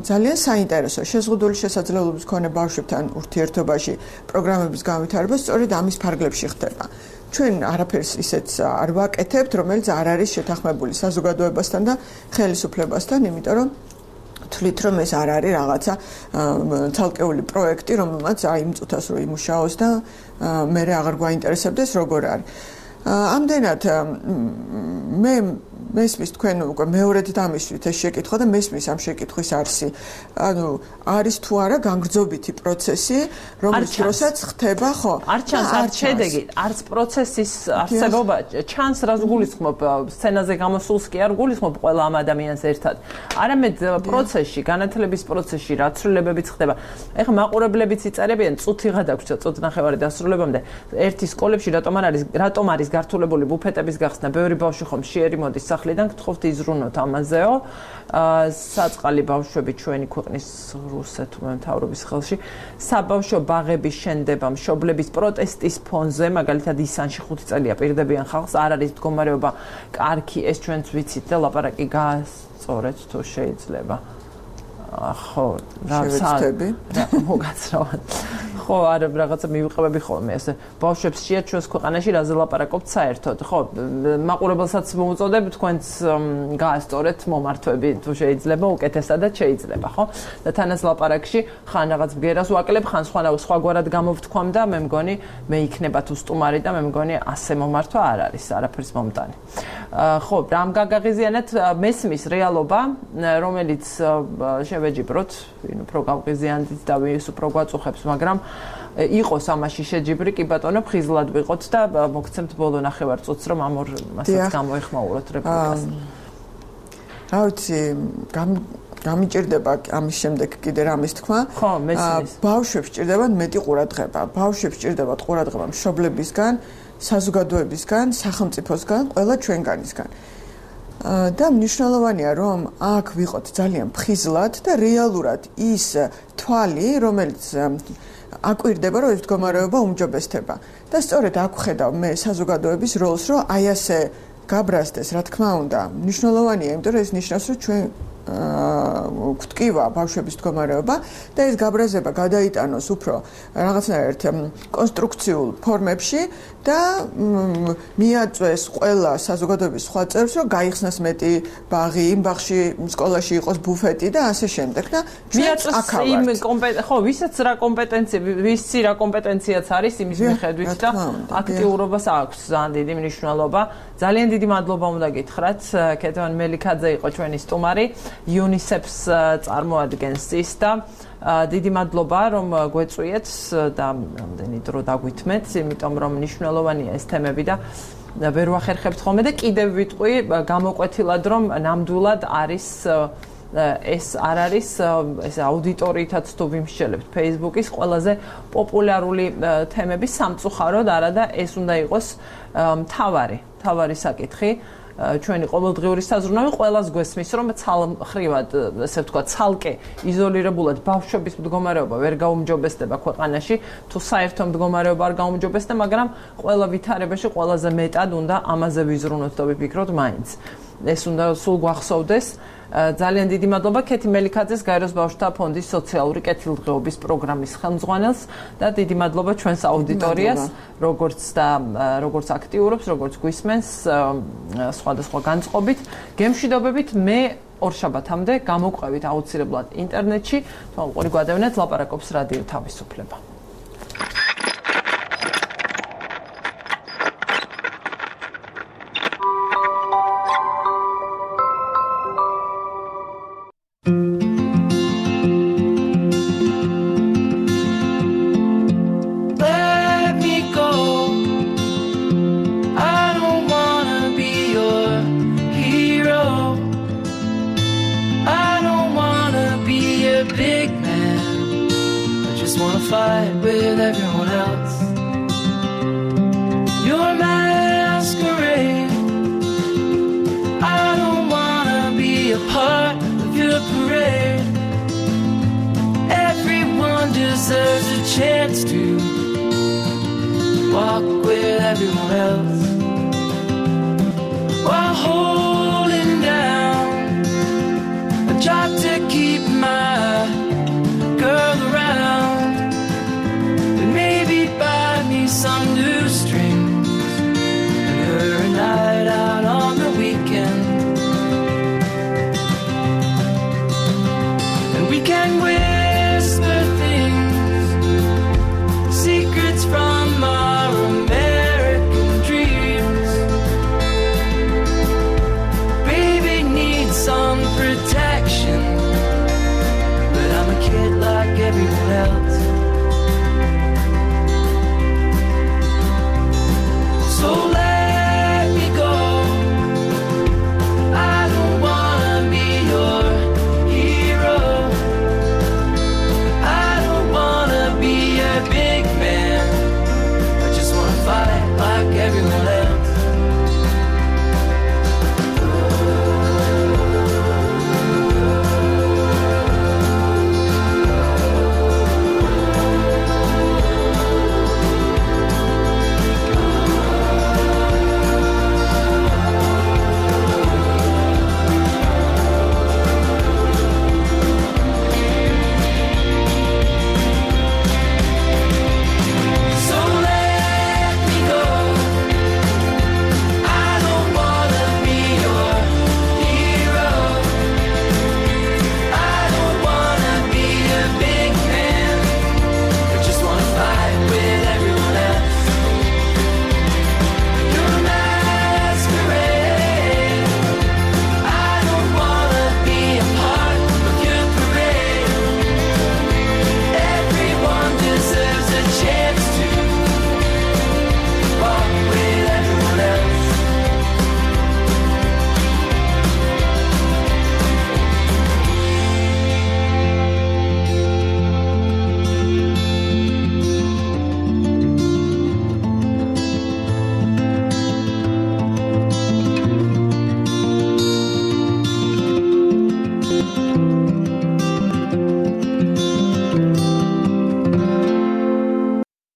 ძალიან საინტერესო. შეზღუდული შესაძლებლობის მქონე ბავშვებთან ურთიერთობაში პროგრამების განვითარება სწორედ ამის ფარგლებში ხდება. ჩვენ არაფერს ისეც არ ვაკეთებთ, რომელიც არ არის შეთანხმებული საზოგადოებასთან და ხელისუფლებასთან, იმიტომ რომ თვლით რომ ეს არ არის რაღაცა ცალკეული პროექტი, რომელმაც აი იმ წუთას რო იმუშაოს და მე აღარ გვაინტერესებდეს როგორ არის. ამდენად მე მესმის თქვენ უკვე მეორედ დამისვით ეს შეკითხვა და მესმის ამ შეკითხვის არსი. ანუ არის თუ არა განგრძობითი პროცესი, რომელიც დროსაც ხდება, ხო? არ ჩანს არც შედეგი, არც პროცესის არსებობა ჩანს, რაც გულისხმობ სცენაზე გამოსულს კი არ გულისხმობ ყველა ამ ადამიანს ერთად. არამედ პროცესში, განათლების პროცესში რა ცვლილებებიც ხდება. ეხლა მაყურებლებიც იწერებიან, წუთი გადაგვრჩა, წუთნახევარი დასრულებამდე. ერთი სკოლებში რატომ არის გართულებული ბუფეტების გახსნა, ბევრი ბავშვი ხომ შეერი მოდის სახლიდან გთხოვთ იზრუნოთ ამაზეო. საწყალი ბავშვები ჩვენი ქვეყნის რუსეთმა მთავრობის ხელში საბავშვო ბაღების შენდება მშობლების პროტესტის ფონზე, მაგალითად ისანში 5 წელია პირდებიან ხალხს, არ არის მდგომარეობა კარგი, ეს ჩვენც ვიცით და ლაპარაკი გაასწორეთ თუ შეიძლება. ხო, შევეცდები მოგაცრავად. ხო, არა, რაღაცა მივიყევები ხოლმე ესე. ბავშვებს შეა ჩვენს ქვეყანაში რაზე ლაპარაკობთ საერთოდ. ხო, მაყურებელსაც მოუწოდებ თქვენც გაასწორეთ მომართვები, თუ შეიძლება, უკეთესადაც შეიძლება, ხო? და თანაც ლაპარაკში ხან რაღაც ბგერას ვაკლებ, ხან სხვაგვარად გამოვთქვამ და მე მგონი მე იქნება თუ სტუმარი და მე მგონი ასე მომართვა არ არის, არაფერს მომტანი. ხო, რამ გაგაღიზიანეთ მესმის რეალობა, რომელიც შევეჯიბროთ, ვინ უფრო გავღიზიანდით და ვის უფრო გვაწუხებს, მაგრამ იყოს ამაში შეჯიბრი, კი ბატონო, ხიზლად ვიყოთ და მოგცემთ ბოლო ნახევარწუთს, რომ ამ ორ მასაც გამოეხმაუროთ რეპლიკას. რა ვიცი, გამიჭირდება ამის შემდეგ კიდე რამის თქვა. ხო, მესმის. ბავშვებს ჭირდებათ მეტი ყურადღება. ბავშვებს ჭირდებათ ყურადღება მშობლებისგან, საზოგადოებისგან, სახელმწიფოსგან, ყველა ჩვენგანისგან. და მნიშვნელოვანია, რომ აქ ვიყოთ ძალიან ფხიზლად და რეალურად ის თვალი, რომელიც აკვირდება, რომ ეს მდგომარეობა უმჯობესდება. და სწორედ აქ ვხედავ მე საზოგადოების როლს, რომ აი ასე გაბრაზდეს, რა თქმა უნდა, მნიშვნელოვანია, იმიტომ რომ ეს ნიშნავს, რომ ჩვენ გვტკივა ბავშვების მდგომარეობა და ეს გაბრაზება გადაიტანოს უფრო რაღაცნაირად კონსტრუქციულ ფორმებში და მიაწვეს ყველა საზოგადოების სხვა წევრს, რომ გაიხსნას მეტი ბაღი, იმ ბაღში სკოლაში იყოს ბუფეტი და ასე შემდეგ და ჩვენც აქ ავართ. ხო, ვისაც რა კომპეტენცია, ვისი რა კომპეტენციაც არის იმის მიხედვით და აქტიურობას აქვს ძალიან დიდი მნიშვნელობა. ძალიან დიდი მადლობა უნდა გითხრათ, ქეთევან მელიქაძე იყო ჩვენი სტუმარი. UNICEF-ს წარმოადგენს ის და დიდი მადლობა რომ გვეწვიეთ და რამდენი დრო დაგვითმეთ, იმიტომ რომ მნიშვნელოვანია ეს თემები და ვერ ვახერხებთ ხოლმე და კიდევ ვიტყვი გამოკვეთილად რომ ნამდვილად არის ეს არ არის ეს აუდიტორიითაც თუ ვიმსჯელებთ Facebook-ის ყველაზე პოპულარული თემების სამწუხაროდ არა და ეს უნდა იყოს მთავარი საკითხი ჩვენი ყოველდღიური საზრუნავი ყველას გვესმის რომ ცალმხრივად ესე ვთქვა ცალკე იზოლირებულად ბავშვების მდგომარეობა ვერ გაუმჯობესდება ქვეყანაში თუ საერთო მდგომარეობა არ გაუმჯობესდა მაგრამ ყველა ვითარებაში ყველაზე მეტად უნდა ამაზე ვიზრუნოთ და ვიფიქროთ მაინც ეს უნდა სულ გვახსოვდეს ძალიან დიდი მადლობა ქეთი მელიქაძეს გაეროს ბავშვთა ფონდის სოციალური კეთილდღეობის პროგრამის ხელმძღვანელს და დიდი მადლობა ჩვენს აუდიტორიას როგორც აქტიურობს როგორც გვისმენს სხვადასხვა განწყობით გემშვიდობებით მე ორშაბათამდე გამოვყვებით აუცილებლად ინტერნეტში თვალყური გვადევნეთ ლაპარაკობს რადიო თავისუფლება fight with everyone else. Your masquerade. I don't wanna be a part of your parade. Everyone deserves a chance to walk with everyone else while holding